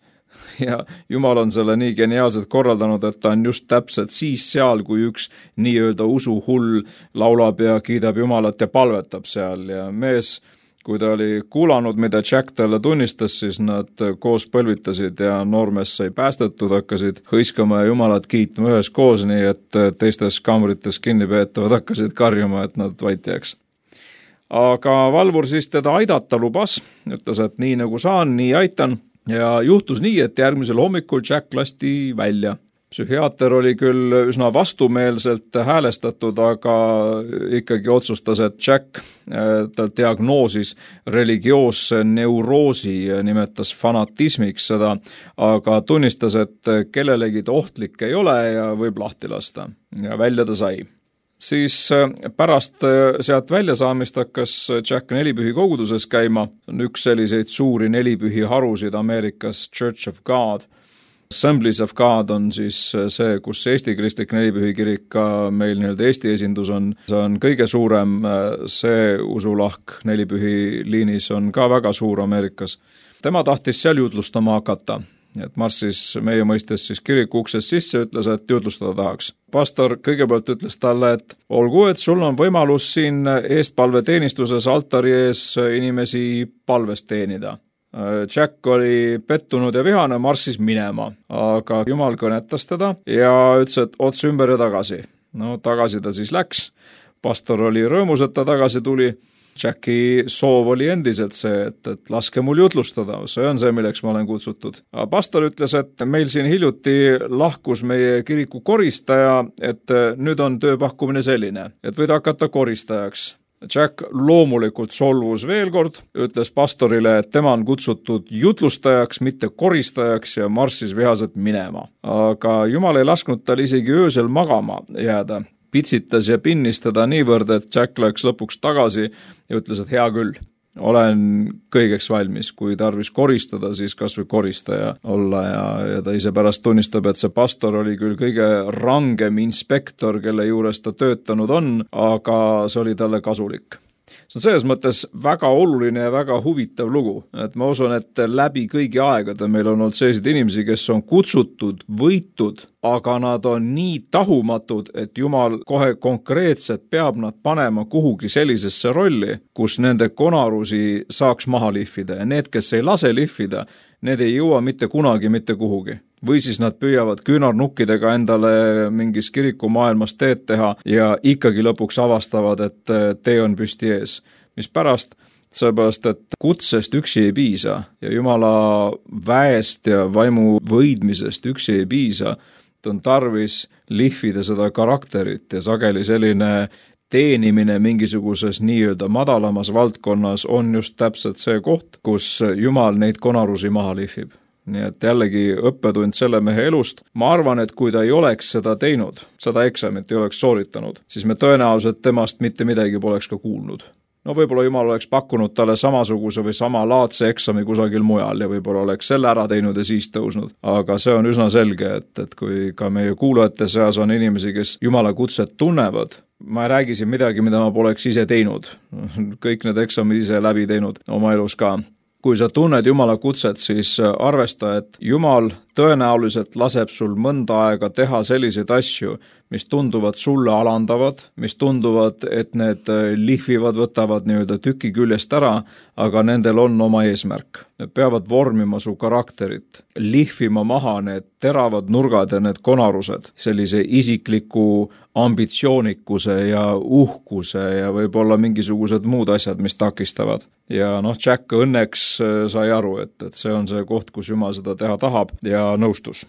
ja Jumal on selle nii geniaalselt korraldanud, et ta on just täpselt siis seal, kui üks nii-öelda usuhull laulab ja kiidab Jumalat ja palvetab seal ja mees, kui ta oli kuulanud, mida Jack talle tunnistas, siis nad koos põlvitasid ja noormees sai päästetud, hakkasid hõiskama ja Jumalat kiitma ühes koos, nii et teistes kamrites kinnipeetavad hakkasid karjuma, et nad vait jääks. Aga valvur siis teda aidata lubas, ütles, et nii nagu saan, nii aitan ja juhtus nii, et järgmisel hommikul Jack lasti välja. Psühhiaater oli küll üsna vastumeelselt häälestatud, aga ikkagi otsustas, et Jack tal diagnoosis religioosse neuroosi ja nimetas fanatismiks seda, aga tunnistas, et kellelegi ohtlik ei ole ja võib lahti lasta ja välja ta sai. Siis pärast sealt väljasaamist hakkas Jack 4 pühi koguduses käima, on üks selliseid suuri 4 pühi harusid Ameerikas, Church of God. Assemblies of God on siis see, kus Eesti kristlik 4 pühi kirik ka meil nii-öelda Eesti esindus on. See on kõige suurem, see usulahk 4 pühi liinis on ka väga suur Ameerikas. Tema tahtis seal jutlustama hakata, et marssis meie mõistes siis kiriku uksest sisse, ütles, et jutlustada tahaks. Pastor kõigepealt ütles talle, et olgu, et sul on võimalus siin eestpalveteenistuses altari ees inimesi palvest teenida. Jack oli pettunud ja vihane, marssis minema, aga Jumal kõnetas teda ja ütles, et ots ümber ja tagasi. Tagasi ta siis läks. Pastor oli rõõmus, et ta tagasi tuli. Jacki soov oli endiselt see, et laske mul jutlustada, see on see, milleks ma olen kutsutud. Pastor ütles, et meil siin hiljuti lahkus meie kiriku koristaja, et nüüd on tööpakkumine selline, et võid hakata koristajaks. Jack loomulikult solvus veel kord, ütles pastorile, et tema on kutsutud jutlustajaks, mitte koristajaks ja marssis vihaselt minema. Aga Jumal ei lasknud tal isegi öösel magama jääda. Pitsitas ja pinnis teda niivõrd, et Jack läks lõpuks tagasi ja ütles, et hea küll. olen kõigeks valmis, kui tarvis koristada, siis kas või koristaja olla ja ta ise pärast tunnistab, et see pastor oli küll kõige rangem inspektor, kelle juures ta töötanud on, aga see oli talle kasulik. See on selles mõttes väga oluline ja väga huvitav lugu, et ma usun, et läbi kõigi aegade meil on olnud selliseid inimesi, kes on kutsutud, võitud, aga nad on nii tahumatud, et Jumal kohe konkreetselt peab nad panema kuhugi sellisesse rolli, kus nende konarusi saaks maha lihvida ja need, kes ei lase lihvida, need ei jõua mitte kunagi mitte kuhugi. Või siis nad püüavad küünarnukkidega endale mingis kirikumaailmas teed teha ja ikkagi lõpuks avastavad, et tee on püsti ees. Mis pärast? Sellepärast, et kutsest üksi ei piisa ja Jumala väest ja vaimu võidmisest üksi ei piisa. On tarvis lihvida seda karakterit ja sageli selline teenimine mingisuguses nii-öelda madalamas valdkonnas on just täpselt see koht, kus Jumal neid konarusi maha lihvib. Nii et jällegi õppetund selle mehe elust. Ma arvan, et kui ta ei oleks seda teinud, seda eksamit ei oleks sooritanud, siis me tõenäoliselt temast mitte midagi poleks ka kuulnud. No võib-olla Jumal oleks pakkunud talle samasuguse või sama laadse eksami kusagil mujal ja võib-olla oleks selle ära teinud ja siis tõusnud. Aga see on üsna selge, et kui ka meie kuulajate seas on inimesi, kes Jumala kutset tunnevad, ma ei räägi siin midagi, mida ma poleks ise teinud. Kõik need eksamid ise läbi teinud oma elus ka. Kui sa tunned Jumala kutset, siis arvesta, et Jumal tõenäoliselt laseb sul mõnda aega teha selliseid asju, mis tunduvad sulle alandavad, mis tunduvad, et need lihvivad, võtavad nii-öelda tüki küljest ära, aga nendel on oma eesmärk. Need peavad vormima su karakterit, lihvima maha need teravad nurgad ja need konarused, sellise isikliku ambitsioonikuse ja uhkuse ja võib-olla mingisugused muud asjad, mis takistavad. Ja Jack õnneks sai aru, et see on see koht, kus Jumal seda teha tahab ja nõustus.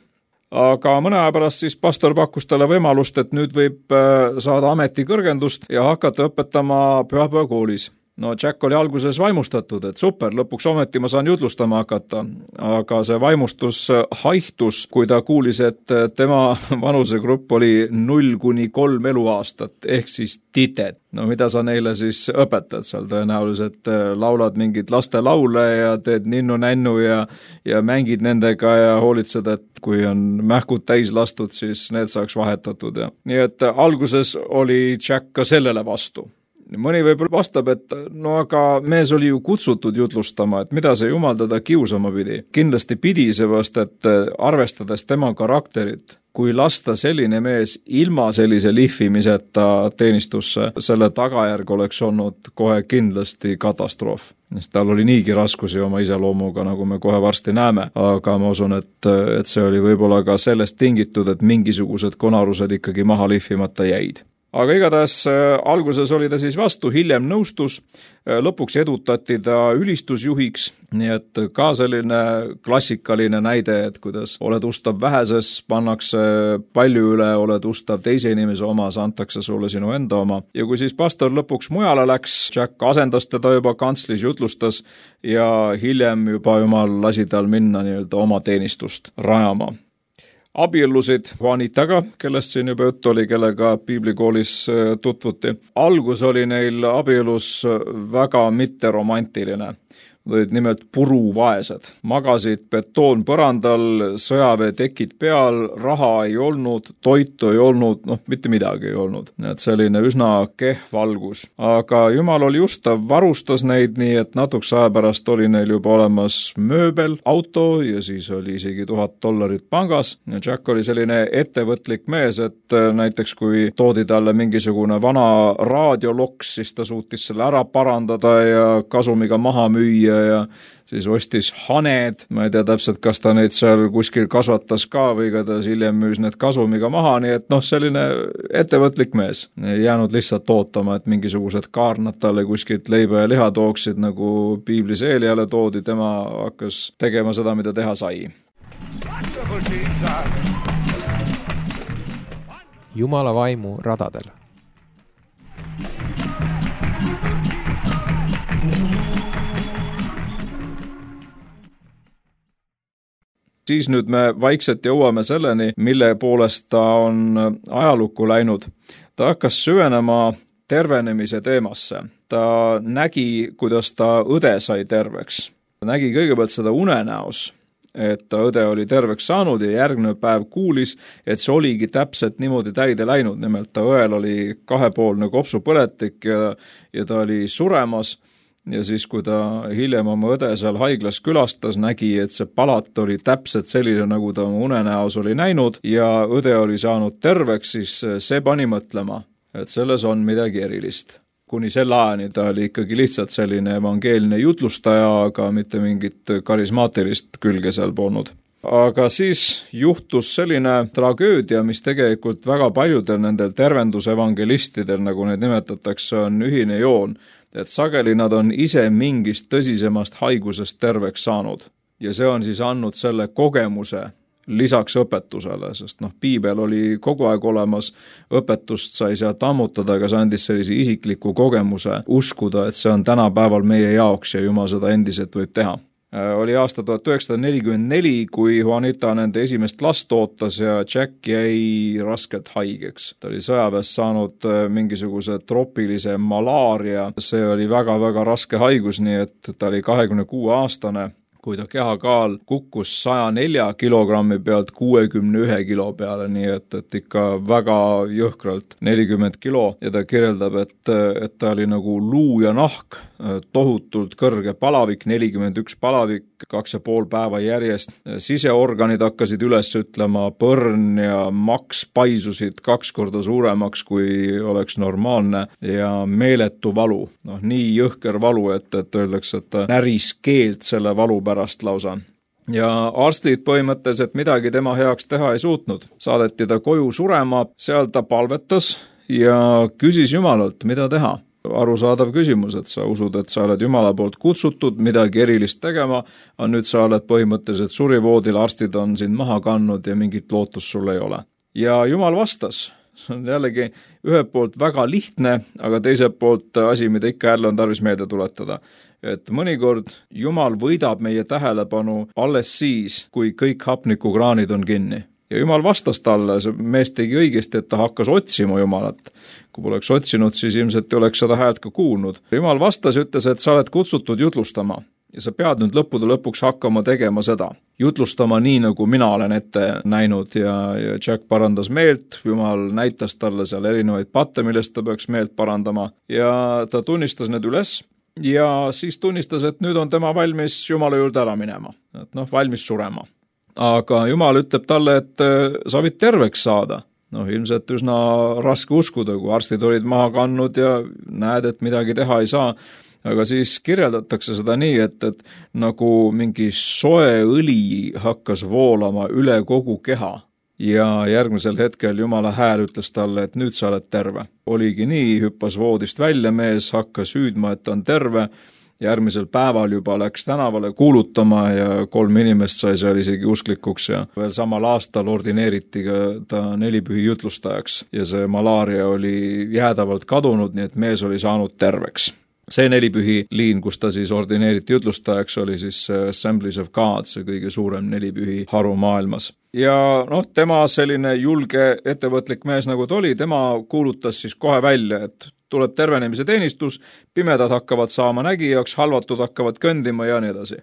Aga mõne aja pärast siis pastor pakkus talle võimalust, et nüüd võib saada ametikõrgendust ja hakata õpetama pühapäevakoolis. No Jack oli alguses vaimustatud, et super, lõpuks ometi ma saan jutlustama hakata, aga see vaimustus haihtus, kui ta kuulis, et tema vanusegrupp oli 0–3 eluaastat, ehk siis tited. No mida sa neile siis õpetad seal? Tõenäoliselt laulad mingid laste laule ja teed ninnu-nännu ja mängid nendega ja hoolitsed, et kui on mähkud täis lastud, siis need saaks vahetatud. Ja. Nii et alguses oli Jack ka sellele vastu. Mõni võib-olla vastab, et no aga mees oli ju kutsutud jutlustama, et mida see Jumal teda kiusama pidi. Kindlasti pidi seepärast, et arvestades tema karakterit, kui lasta selline mees ilma sellise lihvimiseta teenistusse, selle tagajärg oleks olnud kohe kindlasti katastroof. Tal oli niigi raskusi oma iseloomuga, nagu me kohe varsti näeme, aga ma usun, et see oli võib-olla ka sellest tingitud, et mingisugused konarused ikkagi maha lihvimata jäid. Aga igatahes alguses oli ta siis vastu, hiljem nõustus, lõpuks edutati ta ülistusjuhiks, nii et ka selline klassikaline näide, et kuidas oled ustav väheses, pannakse palju üle, oled ustav teise inimese omas, antakse sulle sinu enda oma. Ja kui siis pastor lõpuks mujale läks, Jack asendas teda juba kantslis, jutlustas ja hiljem juba Jumal lasi tal minna nii-öelda oma teenistust rajama. Abiellusid Juanitaga, kellest siin juba juttu oli, kellega piiblikoolis tutvuti. Algus oli neil abielus väga mitteromantiline. Olid nimelt puruvaesed. Magasid betoonpõrandal, sõjaveetekid peal, raha ei olnud, toitu ei olnud, mitte midagi ei olnud. Et selline üsna kehv algus. Aga Jumal oli ustav, varustas neid nii, et natuks aja pärast oli neil juba olemas mööbel, auto ja siis oli isegi $1000 pangas. Ja Jack oli selline ettevõtlik mees, et näiteks kui toodi talle mingisugune vana raadioloks, siis ta suutis selle ära parandada ja kasumiga maha müüa ja siis ostis haned, ma ei tea täpselt, kas ta neid seal kuskil kasvatas ka või igatahes hiljem müüs need kasumiga maha, nii et selline ettevõtlik mees. Ei jäänud lihtsalt ootama, et mingisugused kaarnad talle kuskilt leiba ja liha tooksid, nagu piiblis Eeliale toodi, tema hakkas tegema seda, mida teha sai. Jumala vaimu radadel. Siis nüüd me vaikselt jõuame selleni, mille poolest ta on ajalukku läinud. Ta hakkas süvenema tervenemise teemasse. ta nägi, kuidas ta õde sai terveks. Ta nägi kõigepealt seda unenäos, et ta õde oli terveks saanud ja järgmine päev kuulis, et see oligi täpselt niimoodi täide läinud. Nimelt ta õel oli 2-poolne kopsupõletik ja ta oli suremas ja siis, kui ta hiljem oma õde seal haiglas külastas, nägi, et see palat oli täpselt selline, nagu ta oma unenäos oli näinud ja õde oli saanud terveks, siis see pani mõtlema, et selles on midagi erilist. Kuni selle ajani ta oli ikkagi lihtsalt selline evangeelne jutlustaja, aga mitte mingit karismaatilist külge seal polnud. Aga siis juhtus selline tragöödia, mis tegelikult väga paljudel nendel tervendusevangelistidel, nagu neid nimetatakse, on ühine joon, et sageli nad on ise mingist tõsisemast haigusest terveks saanud. Ja see on siis andnud selle kogemuse lisaks õpetusele, sest piibel oli kogu aeg olemas, õpetust sai sealt ammutada, aga see andis sellise isikliku kogemuse uskuda, et see on tänapäeval meie jaoks ja Jumal seda endiselt võib teha. Oli aasta 1944, kui Juanita nende esimest last ootas ja Jack jäi raskelt haigeks. Ta oli sõjaväes saanud mingisuguse tropilise malaaria, see oli väga-väga raske haigus, nii et ta oli 26-aastane. Kui ta kehakaal kukkus 104 kilogrammi pealt 61 kilo peale, nii et ikka väga jõhkralt 40 kilo ja ta kirjeldab, et ta oli nagu luu ja nahk, tohutult kõrge palavik, 41 palavik, 2,5 päeva järjest. Siseorganid hakkasid üles ütlema, põrn ja maks paisusid 2 korda suuremaks, kui oleks normaalne ja meeletu valu. Nii jõhker valu, et öeldakse, et ta näris keelt selle valu pärast lausa. Ja arstid põhimõtteliselt midagi tema heaks teha ei suutnud. Saadeti ta koju surema, seal ta palvetas ja küsis Jumalalt, mida teha. Arusaadav küsimus, et sa usud, et sa oled Jumala poolt kutsutud midagi erilist tegema, aga nüüd sa oled põhimõtteliselt surivoodil, arstid on sind maha kannud ja mingit lootust sul ei ole. Ja Jumal vastas. See on jällegi ühelt poolt väga lihtne, aga teiselt poolt asi, mida ikka jälle on tarvis meelde tuletada. Et mõnikord Jumal võidab meie tähelepanu alles siis, kui kõik hapnikukraanid on kinni. Ja Jumal vastas talle, see mees tegi õigesti, et ta hakkas otsima Jumalat. Kui poleks otsinud, siis ilmselt ei oleks seda häält ka kuulnud. Jumal vastas ja ütles, et sa oled kutsutud jutlustama ja sa pead nüüd lõppude lõpuks hakkama tegema seda. Jutlustama nii, nagu mina olen ette näinud ja Jack parandas meelt, Jumal näitas talle seal erinevaid patte, millest ta peaks meelt parandama ja ta tunnistas need üles ja siis tunnistas, et nüüd on tema valmis Jumala juurde ära minema, et valmis surema. Aga Jumal ütleb talle, et sa võid terveks saada. Ilmselt üsna raske uskuda, kui arstid olid maha kannud ja näed, et midagi teha ei saa. Aga siis kirjeldatakse seda nii, et nagu mingi soe õli hakkas voolama üle kogu keha. Ja järgmisel hetkel Jumala hääl ütles talle, et nüüd sa oled terve. Oligi nii, hüppas voodist välja mees, hakkas hüüdma, et ta on terve. Järgmisel päeval juba läks tänavale kuulutama ja 3 inimest sai seal isegi usklikuks ja veel samal aastal ordineeriti ka ta 4 pühi jutlustajaks ja see malaaria oli jäädavalt kadunud, nii et mees oli saanud terveks. See 4 pühi liin, kus ta siis ordineeriti jutlustajaks, oli siis Assemblies of God, see kõige suurem 4 pühi haru maailmas. Ja tema selline julge ettevõtlik mees nagu ta oli, tema kuulutas siis kohe välja, et tuleb tervenemise teenistus, pimedad hakkavad saama nägijaks, halvatud hakkavad kõndima ja nii edasi.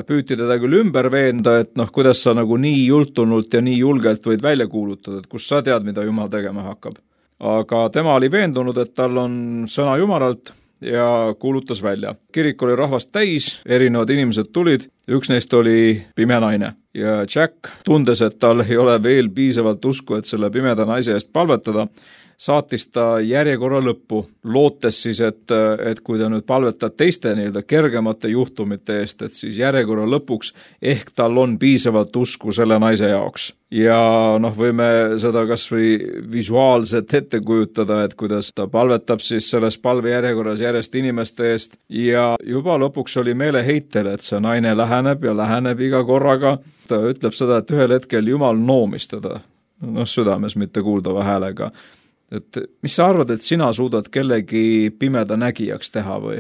Püüti teda küll ümber veenda, et kuidas sa nagu nii jultunult ja nii julgelt võid välja kuulutada, et kus sa tead, mida Jumal tegema hakkab. Aga tema oli veendunud, et tal on sõna Jumalalt ja kuulutas välja. Kirik oli rahvast täis, erinevad inimesed tulid, üks neist oli pime naine. Ja Jack, tundes, et tal ei ole veel piisavalt usku, et selle pimeda naise eest palvetada, saatis ta järjekorra lõppu, lootes siis, et kui ta nüüd palvetab teiste kergemate juhtumite eest, et siis järjekorra lõpuks ehk tal on piisavalt usku selle naise jaoks. Ja võime seda kas või visuaalselt ette kujutada, et kuidas ta palvetab siis selles palvejärjekorras järjest inimeste eest ja juba lõpuks oli meeleheitel, et see naine läheneb ja läheneb iga korraga. Ta ütleb seda, et ühel hetkel Jumal noomis teda, südames, mitte kuuldava häälega. Et mis sa arvad, et sina suudad kellegi pimeda nägijaks teha või?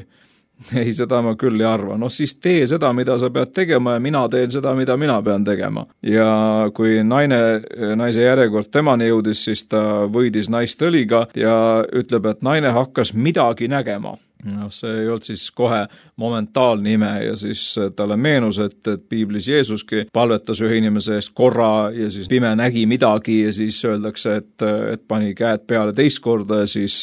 Ei, seda ma küll ei arva. Siis tee seda, mida sa pead tegema ja mina teen seda, mida mina pean tegema. Ja kui naise järjekord temani jõudis, siis ta võidis naist õliga ja ütleb, et naine hakkas midagi nägema. No, see ei olnud siis kohe momentaalne ime ja siis talle meenus, et piiblis Jeesuski palvetas ühe inimese eest korra ja siis pime nägi midagi ja siis öeldakse, et pani käed peale teist korda ja siis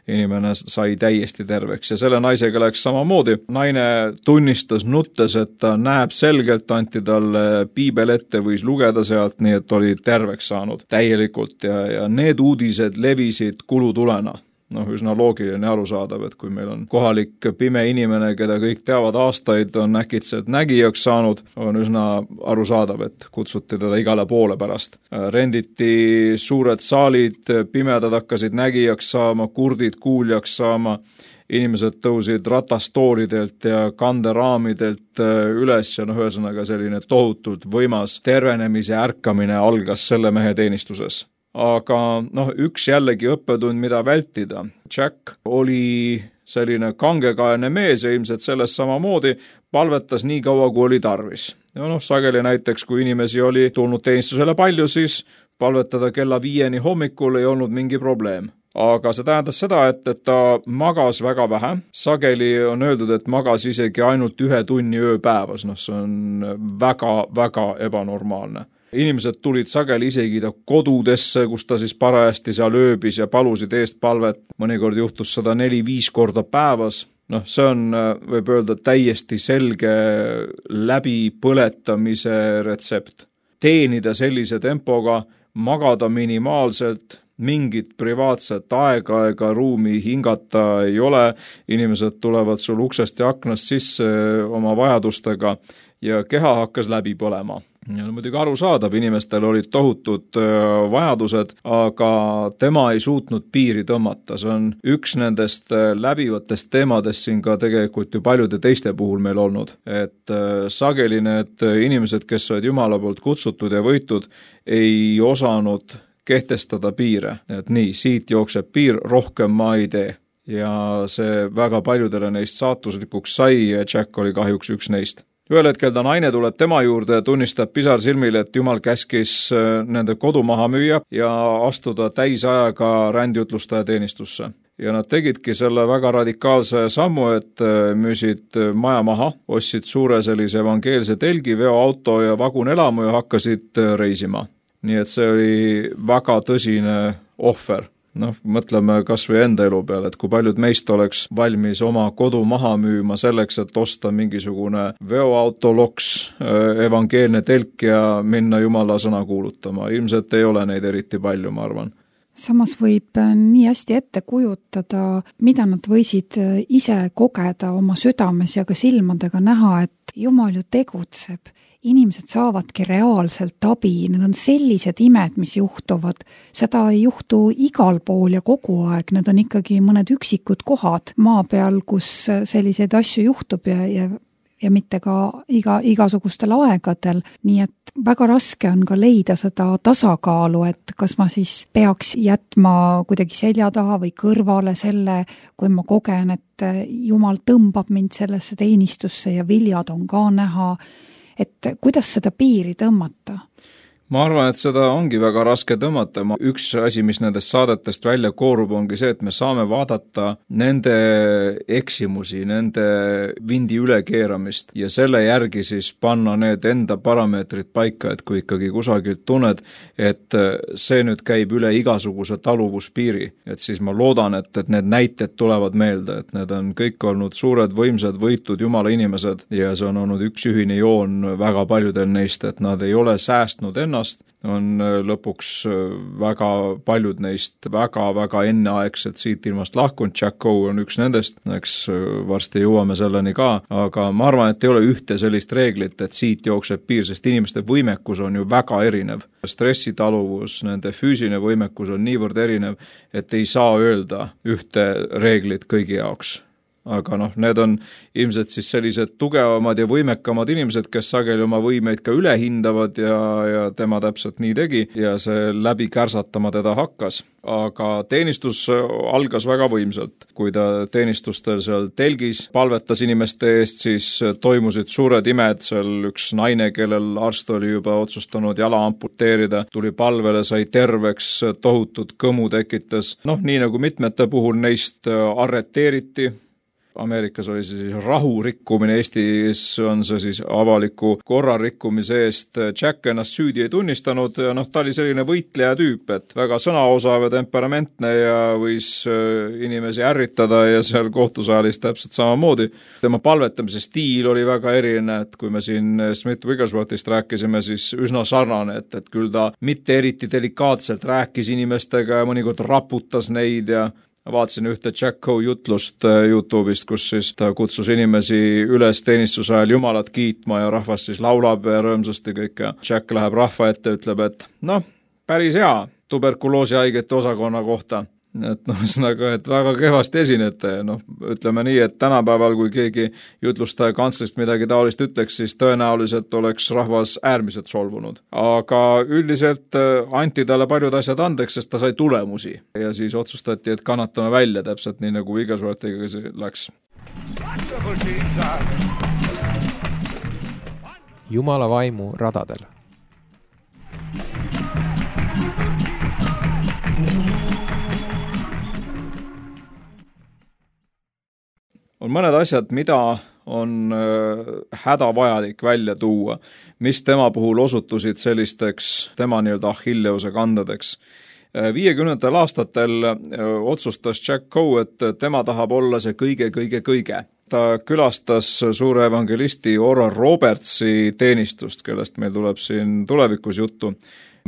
inimene sai täiesti terveks. Ja selle naisega läks samamoodi. Naine tunnistas nuttes, et ta näeb selgelt, anti talle piibel ette, võis lugeda sealt, nii et oli terveks saanud täielikult ja need uudised levisid kulutulena. Üsna loogiline ja arusaadav, et kui meil on kohalik pime inimene, keda kõik teavad aastaid, on äkitselt nägijaks saanud, on üsna arusaadav, et kutsuti teda igale poole pärast. Renditi suured saalid, pimedad hakkasid nägijaks saama, kurdid kuuljaks saama, inimesed tõusid ratastooridelt ja kanderaamidelt üles ja ühesõnaga selline tohutult võimas tervenemise ärkamine algas selle mehe teenistuses. Aga üks jällegi õppetund, mida vältida. Jack oli selline kangekaelne mees ja ilmselt sellest samamoodi palvetas nii kaua, kui oli tarvis. Sageli näiteks, kui inimesi oli tulnud teenistusele palju, siis palvetada kella 5 hommikul ei olnud mingi probleem. Aga see tähendas seda, et ta magas väga vähe. Sageli on öeldud, et magas isegi ainult 1 tunni ööpäevas. See on väga ebanormaalne. Inimesed tulid sageli isegi ta kodudesse, kus ta siis parajasti seal ööbis ja palusid eest palvet. Mõnikord juhtus 104-5 korda päevas. See on, võib öelda, täiesti selge läbipõletamise retsept. Teenida sellise tempoga, magada minimaalselt, mingit privaatset aega ega ruumi hingata ei ole. Inimesed tulevad sul uksest ja aknast sisse oma vajadustega ja keha hakkas läbi põlema. Ja muidugi arusaadav, inimestel olid tohutud vajadused, aga tema ei suutnud piiri tõmmata. See on üks nendest läbivatest teemadest siin ka tegelikult ju paljude teiste puhul meil olnud. Et sageli need inimesed, kes olid Jumala poolt kutsutud ja võitud, ei osanud kehtestada piire. Et nii, siit jookseb piir, rohkem ma ei tee. Ja see väga paljudele neist saatuslikuks sai ja Jack oli kahjuks üks neist. Ühel hetkel ta naine tuleb tema juurde ja tunnistab pisarsilmile, et Jumal käskis nende kodu maha müüa ja astuda täisajaga rändjutlustaja teenistusse. Ja nad tegidki selle väga radikaalse sammu, et müüsid maja maha, ostsid suure sellise evangeelse telgi, veoauto ja vagunelamu ja hakkasid reisima. Nii et see oli väga tõsine ohver. Mõtleme kas või enda elu peale, et kui paljud meist oleks valmis oma kodu maha müüma selleks, et osta mingisugune veoautoloks, evangeelne telk ja minna Jumala sõna kuulutama. Ilmselt ei ole neid eriti palju, ma arvan. Samas võib nii hästi ette kujutada, mida nad võisid ise kogeda oma südames ja ka silmadega näha, et Jumal ju tegutseb. Inimesed saavadki reaalselt abi, need on sellised imed, mis juhtuvad. Seda ei juhtu igal pool ja kogu aeg, need on ikkagi mõned üksikud kohad maa peal, kus selliseid asju juhtub ja mitte ka igasugustel aegadel. Nii et väga raske on ka leida seda tasakaalu, et kas ma siis peaks jätma kuidagi selja taha või kõrvale selle, kui ma kogen, et Jumal tõmbab mind sellesse teenistusse ja viljad on ka näha. Et kuidas seda piiri tõmmata? Ma arvan, et seda ongi väga raske tõmmata. Üks asi, mis nendest saadetest välja koorub, ongi see, et me saame vaadata nende eksimusi, nende vindi ülekeeramist ja selle järgi siis panna need enda parameetrid paika, et kui ikkagi kusagilt tunned, et see nüüd käib üle igasuguse taluvuspiiri, et siis ma loodan, et need näited tulevad meelde, et need on kõik olnud suured, võimsad, võitud Jumala inimesed ja see on olnud üks ühine joon väga paljudel neist, et nad ei ole säästnud ennast, on lõpuks väga paljud neist väga enneaegselt siit ilmast lahkunud. Jack Coe on üks nendest, eks varsti jõuame selleni ka, aga ma arvan, et ei ole ühte sellist reeglit, et siit jookseb piir, sest inimeste võimekus on ju väga erinev. Stressitaluvus, nende füüsiline võimekus on niivõrd erinev, et ei saa öelda ühte reeglit kõigi jaoks. Aga need on ilmselt siis sellised tugevamad ja võimekamad inimesed, kes sageli oma võimeid ka üle hindavad ja tema täpselt nii tegi ja see läbi kärsatama teda hakkas. Aga teenistus algas väga võimsalt. Kui ta teenistustel seal telgis palvetas inimeste eest, siis toimusid suured imed. Seal üks naine, kellel arst oli juba otsustanud jala amputeerida, tuli palvele, sai terveks, tohutud kõmu tekitas. Nii nagu mitmete puhul neist arreteeriti, Ameerikas oli see siis rahu rikkumine, Eestis on see siis avaliku korra rikkumise eest. Jack ennast süüdi ei tunnistanud ja ta oli selline võitleja tüüp, et väga sõnaosav ja temperamentne ja võis inimesi ärritada ja seal kohtusaalis täpselt samamoodi. Tema palvetamise stiil oli väga eriline, et kui me siin Smith-Wigglesworthist rääkisime, siis üsna sarnane, et küll ta mitte eriti delikaatselt rääkis inimestega ja mõnikord raputas neid ja vaatasin ühte Jack Coe jutlust YouTube'ist, kus siis ta kutsus inimesi üles teenistuse ajal Jumalat kiitma ja rahvas siis laulab ja rõõmsasti kõik ja Jack läheb rahva ette ja ütleb, et päris hea tuberkuloosihaigete osakonna kohta. Et et väga kehvasti esinete. Ütleme nii, et tänapäeval, kui keegi jutlustaja kantslist midagi taolist ütleks, siis tõenäoliselt oleks rahvas äärmiselt solvunud. Aga üldiselt anti talle paljud asjad andeks, sest ta sai tulemusi. Ja siis otsustati, et kannatame välja täpselt nii, nagu Wigglesworthiga läks. Jumala vaimu radadel. On mõned asjad, mida on hädavajalik välja tuua, mis tema puhul osutusid sellisteks tema Achilleuse kandadeks. 50. aastatel otsustas Jack Coe, et tema tahab olla see kõige. Ta külastas suure evangelisti Oral Robertsi teenistust, kellest meil tuleb siin tulevikus juttu.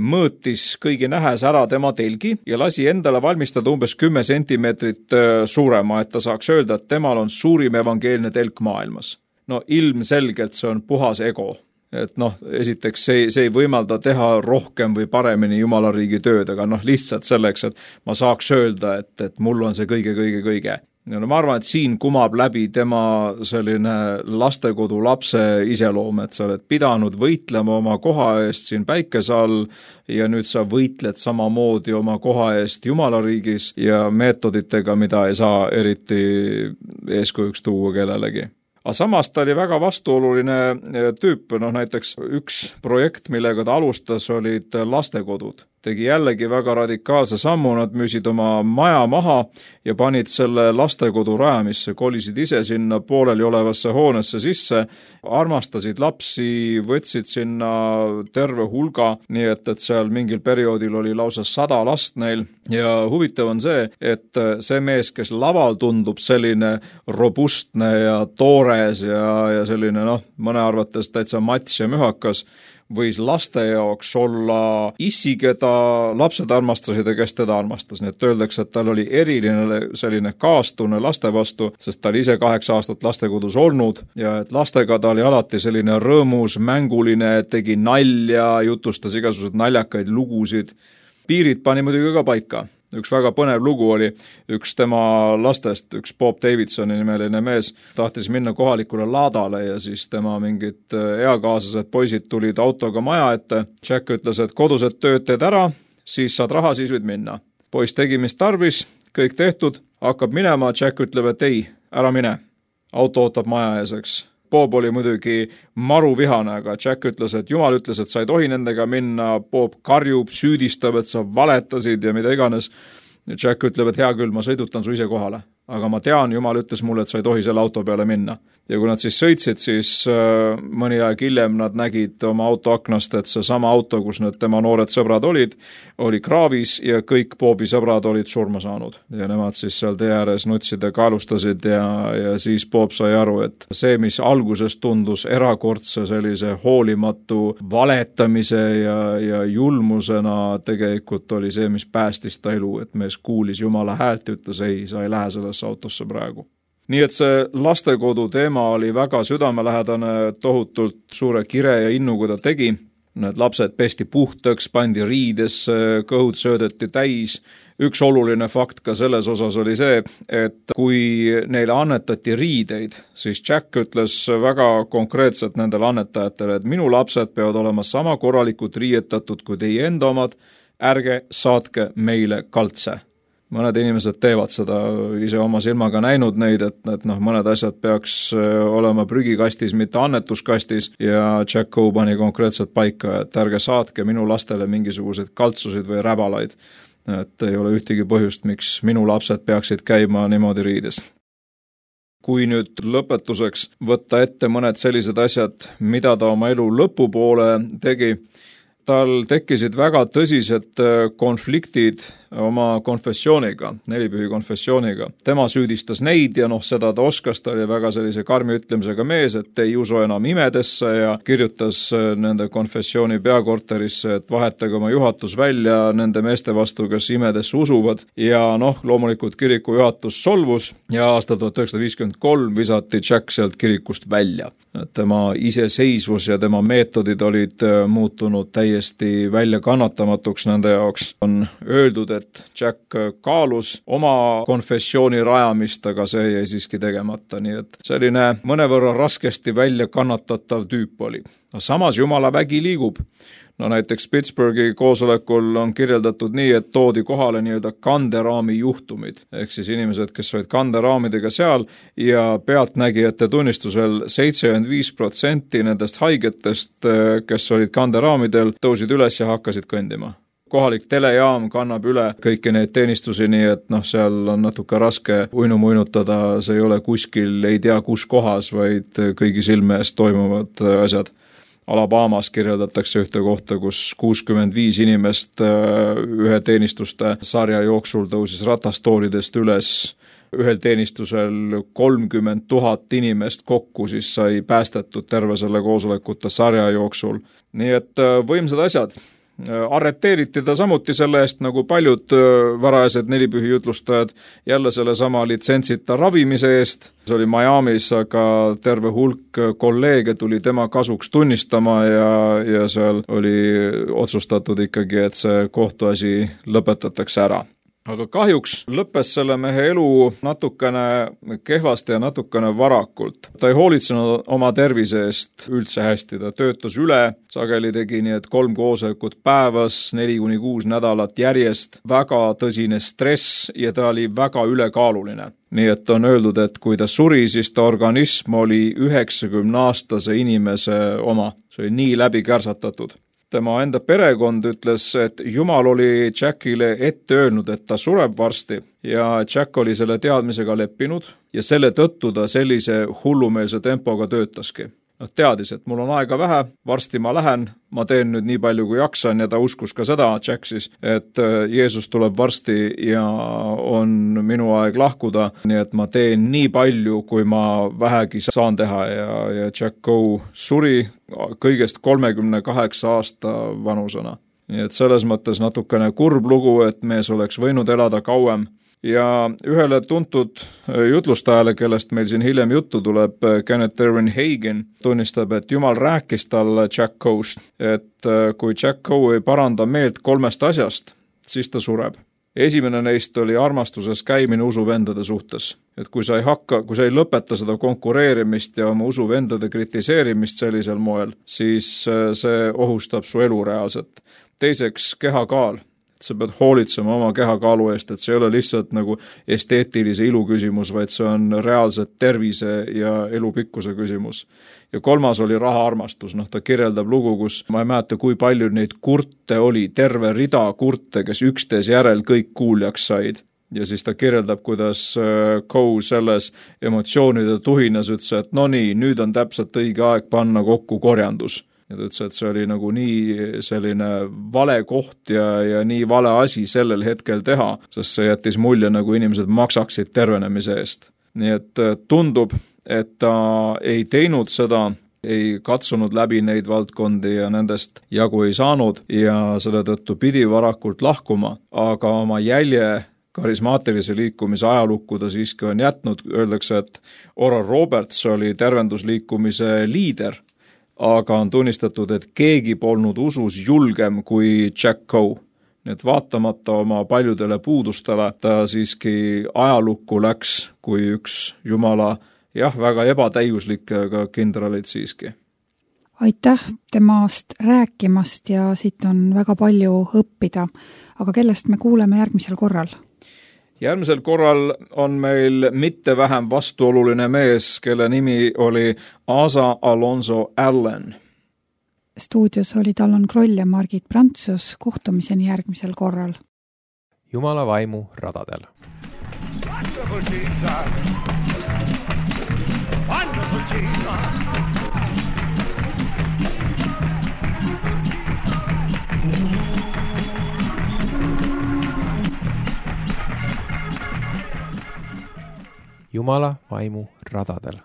Mõõtis kõigi nähes ära tema telgi ja lasi endale valmistada umbes 10 sentimeetrit suurema, et ta saaks öelda, et temal on suurim evangeelne telk maailmas. Ilmselgelt see on puhas ego. Et esiteks see ei võimalda teha rohkem või paremini Jumala riigi tööd, aga lihtsalt selleks, et ma saaks öelda, et mul on see kõige. Ma arvan, et siin kumab läbi tema selline lastekodu lapse iseloom, et sa oled pidanud võitlema oma koha eest siin päikese all ja nüüd sa võitled samamoodi oma koha eest Jumala riigis ja meetoditega, mida ei saa eriti eeskujuks tuua kellelegi. Aga samas ta oli väga vastuoluline tüüp, näiteks üks projekt, millega ta alustas, olid lastekodud. Tegi jällegi väga radikaalse sammu, nad müüsid oma maja maha ja panid selle lastekodu rajamisse, kolisid ise sinna pooleli olevasse hoonesse sisse, armastasid lapsi, võtsid sinna terve hulga, nii et seal mingil perioodil oli lausa 100 last neil ja huvitav on see, et see mees, kes laval tundub selline robustne ja toores ja selline mõne arvates täitsa mats ja mühakas, võis laste jaoks olla issi, keda lapsed armastasid ja kes teda armastas. Nii et öeldakse, et tal oli eriline selline kaastunne laste vastu, sest ta oli ise 8 aastat lastekodus olnud ja et lastega ta oli alati selline rõõmus, mänguline, tegi nalja, jutustas igasugused naljakaid lugusid. Piirid pani muidugi ka paika. Üks väga põnev lugu oli üks tema lastest, üks Bob Davidsoni nimeline mees, tahtis minna kohalikule laadale ja siis tema mingid eakaaslased poisid tulid autoga maja ette. Jack ütles, et kodused tööd teed ära, siis saad raha, siis võid minna. Poiss tegi, mis tarvis, kõik tehtud, hakkab minema, Jack ütleb, et ei, ära mine. Auto ootab maja eeseks. Bob oli muidugi maru vihane, aga Jack ütles, et Jumal ütles, et sa ei tohi nendega minna. Bob karjub, süüdistab, et sa valetasid ja mida iganes. Jack ütleb, et hea küll, ma sõidutan su ise kohale. Aga ma tean, Jumal ütles mulle, et sa ei tohi selle auto peale minna. Ja kui nad siis sõitsid, siis mõni aeg hiljem nad nägid oma auto aknast, et see sama auto, kus need tema noored sõbrad olid, oli kraavis ja kõik Bobi sõbrad olid surma saanud. Ja nemad siis seal tee ääres nutsid ja kaalustasid ja siis Bob sai aru, et see, mis alguses tundus erakordse sellise hoolimatu valetamise ja julmusena tegelikult oli see, mis päästis ta elu, et mees kuulis Jumala häält ja ütles, ei, sa ei lähe sellesse autosse praegu. Nii et see lastekodu teema oli väga südamelähedane, tohutult suure kire ja innuga ta tegi. Need lapsed pesti puhtaks, pandi riidesse, kõhud söödeti täis. Üks oluline fakt ka selles osas oli see, et kui neile annetati riideid, siis Jack ütles väga konkreetselt nendele annetajatele, et minu lapsed peavad olema sama korralikult riietatud kui teie enda omad, ärge saatke meile kaltse. Mõned inimesed teevad seda, ise oma silmaga näinud neid, et mõned asjad peaks olema prügikastis, mitte annetuskastis ja Jack Coe pani konkreetselt paika, et ärge saatke minu lastele mingisuguseid kaltsusid või räbalaid. Et ei ole ühtegi põhjust, miks minu lapsed peaksid käima niimoodi riides. Kui nüüd lõpetuseks võtta ette mõned sellised asjad, mida ta oma elu lõpupoole tegi, tal tekkisid väga tõsised konfliktid oma konfessiooniga, nelipühi konfessiooniga. Tema süüdistas neid ja seda ta oskas, ta oli väga sellise karmi ütlemisega mees, et ei usu enam imedesse ja kirjutas nende konfessiooni peakorterisse, et vahetage oma juhatus välja nende meeste vastu, kes imedesse usuvad. Ja loomulikult kiriku juhatus solvus ja aastal 1953 visati Jack sealt kirikust välja. Tema iseseisvus ja tema meetodid olid muutunud täiesti väljakannatamatuks nende jaoks. On öeldud, et Jack kaalus oma konfessiooni rajamist, aga see jäi siiski tegemata, nii et selline mõnevõrra raskesti välja kannatatav tüüp oli. Samas Jumala vägi liigub. Näiteks Pittsburghi koosolekul on kirjeldatud nii, et toodi kohale nii-öelda kanderaami juhtumid, ehk siis inimesed, kes olid kanderaamidega seal ja pealtnägijate tunnistusel 75% nendest haigetest, kes olid kanderaamidel, tõusid üles ja hakkasid kõndima. Kohalik telejaam kannab üle kõiki neid teenistusi, nii et seal on natuke raske uinutada, see ei ole kuskil, ei tea kus kohas, vaid kõigi silme eest toimuvad asjad. Alabamas kirjeldatakse ühte kohta, kus 65 inimest ühe teenistuste sarja jooksul tõusis ratastoolidest üles. Ühel teenistusel 30 000 inimest kokku siis sai päästetud terve selle koosolekute sarja jooksul. Nii et võimsad asjad. Arreteeriti ta samuti selle eest, nagu paljud varajased nelipühi jutlustajad, jälle selle sama litsentsita ravimise eest. See oli Miamis, aga terve hulk kolleege tuli tema kasuks tunnistama ja seal oli otsustatud ikkagi, et see kohtuasi lõpetatakse ära. Aga kahjuks lõppes selle mehe elu natukene kehvasti ja natukene varakult. Ta ei hoolitsenud oma tervise eest üldse hästi, ta töötas üle, sageli tegi nii, et 3 koosolekut päevas, 4-6 nädalat järjest, väga tõsine stress ja ta oli väga ülekaaluline. Nii et on öeldud, et kui ta suri, siis ta organism oli 90-aastase inimese oma, see oli nii läbi kärsatatud. Tema enda perekond ütles, et Jumal oli Jackile ette öelnud, et ta sureb varsti ja Jack oli selle teadmisega leppinud ja selle tõttu ta sellise hullumeelse tempoga töötaski. Teadis, et mul on aega vähe, varsti ma lähen, ma teen nüüd nii palju kui jaksan ja ta uskus ka seda, Jack siis, et Jeesus tuleb varsti ja on minu aeg lahkuda, nii et ma teen nii palju, kui ma vähegi saan teha ja Jack Coe suri kõigest 38 aasta vanusena. Nii et selles mõttes natukene kurb lugu, et mees oleks võinud elada kauem. Ja ühele tuntud jutlustajale, kellest meil siin hiljem juttu tuleb, Kenneth Erwin Hagin, tunnistab, et Jumal rääkis talle Jack Coe'st, et kui Jack Coe ei paranda meelt 3 asjast, siis ta sureb. Esimene neist oli armastuses käimine usuvendade suhtes. Et kui sa ei lõpeta seda konkureerimist ja oma usuvendade kritiseerimist sellisel moel, siis see ohustab su elu reaalselt. Teiseks, kehakaal. Sa pead hoolitsema oma kehakaalu eest, et see ei ole lihtsalt nagu esteetilise ilu küsimus, vaid see on reaalselt tervise ja elupikkuse küsimus. Ja 3. oli rahaarmastus, ta kirjeldab lugu, kus ma ei mäleta, kui palju neid kurte oli, terve rida kurte, kes üksteise järel kõik kuuljaks said. Ja siis ta kirjeldab, kuidas Coe selles emotsioonide tuhinas ütles, et nüüd on täpselt õige aeg panna kokku korjandus. Ja ta ütles, et see oli nagu nii selline vale koht ja nii vale asi sellel hetkel teha, sest see jättis mulje, nagu inimesed maksaksid tervenemise eest. Nii et tundub, et ta ei teinud seda, ei katsunud läbi neid valdkondi ja nendest jagu ei saanud ja selle tõttu pidi varakult lahkuma, aga oma jälje karismaatilise liikumise ajalukku ta siiski on jätnud. Öeldakse, et Oral Roberts oli tervendusliikumise liider, aga on tunnistatud, et keegi polnud usus julgem kui Jack Coe. Nii et vaatamata oma paljudele puudustele, ta siiski ajalukku läks kui üks Jumala, väga ebatäiuslik, aga kindralid siiski. Aitäh temast rääkimast ja siit on väga palju õppida, aga kellest me kuuleme järgmisel korral? Järgmisel korral on meil mitte vähem vastuoluline mees, kelle nimi oli Asa Alonso Allen. Stuudios olid Allan Kroll ja Margit Prantsus, kohtumiseni järgmisel korral. Jumala vaimu radadel. Wonderful Jesus. Jesus. Jumala vaimu radadel.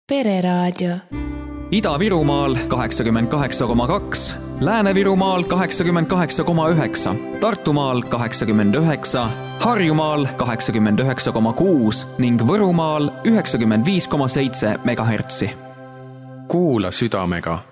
Pereraadio. Ida-Virumaal 88,2, Lääne-Virumaal 88,9, Tartumaal 89, Harjumaal 89,6 ning Võrumaal 95,7 megahertsi. Kuula südamega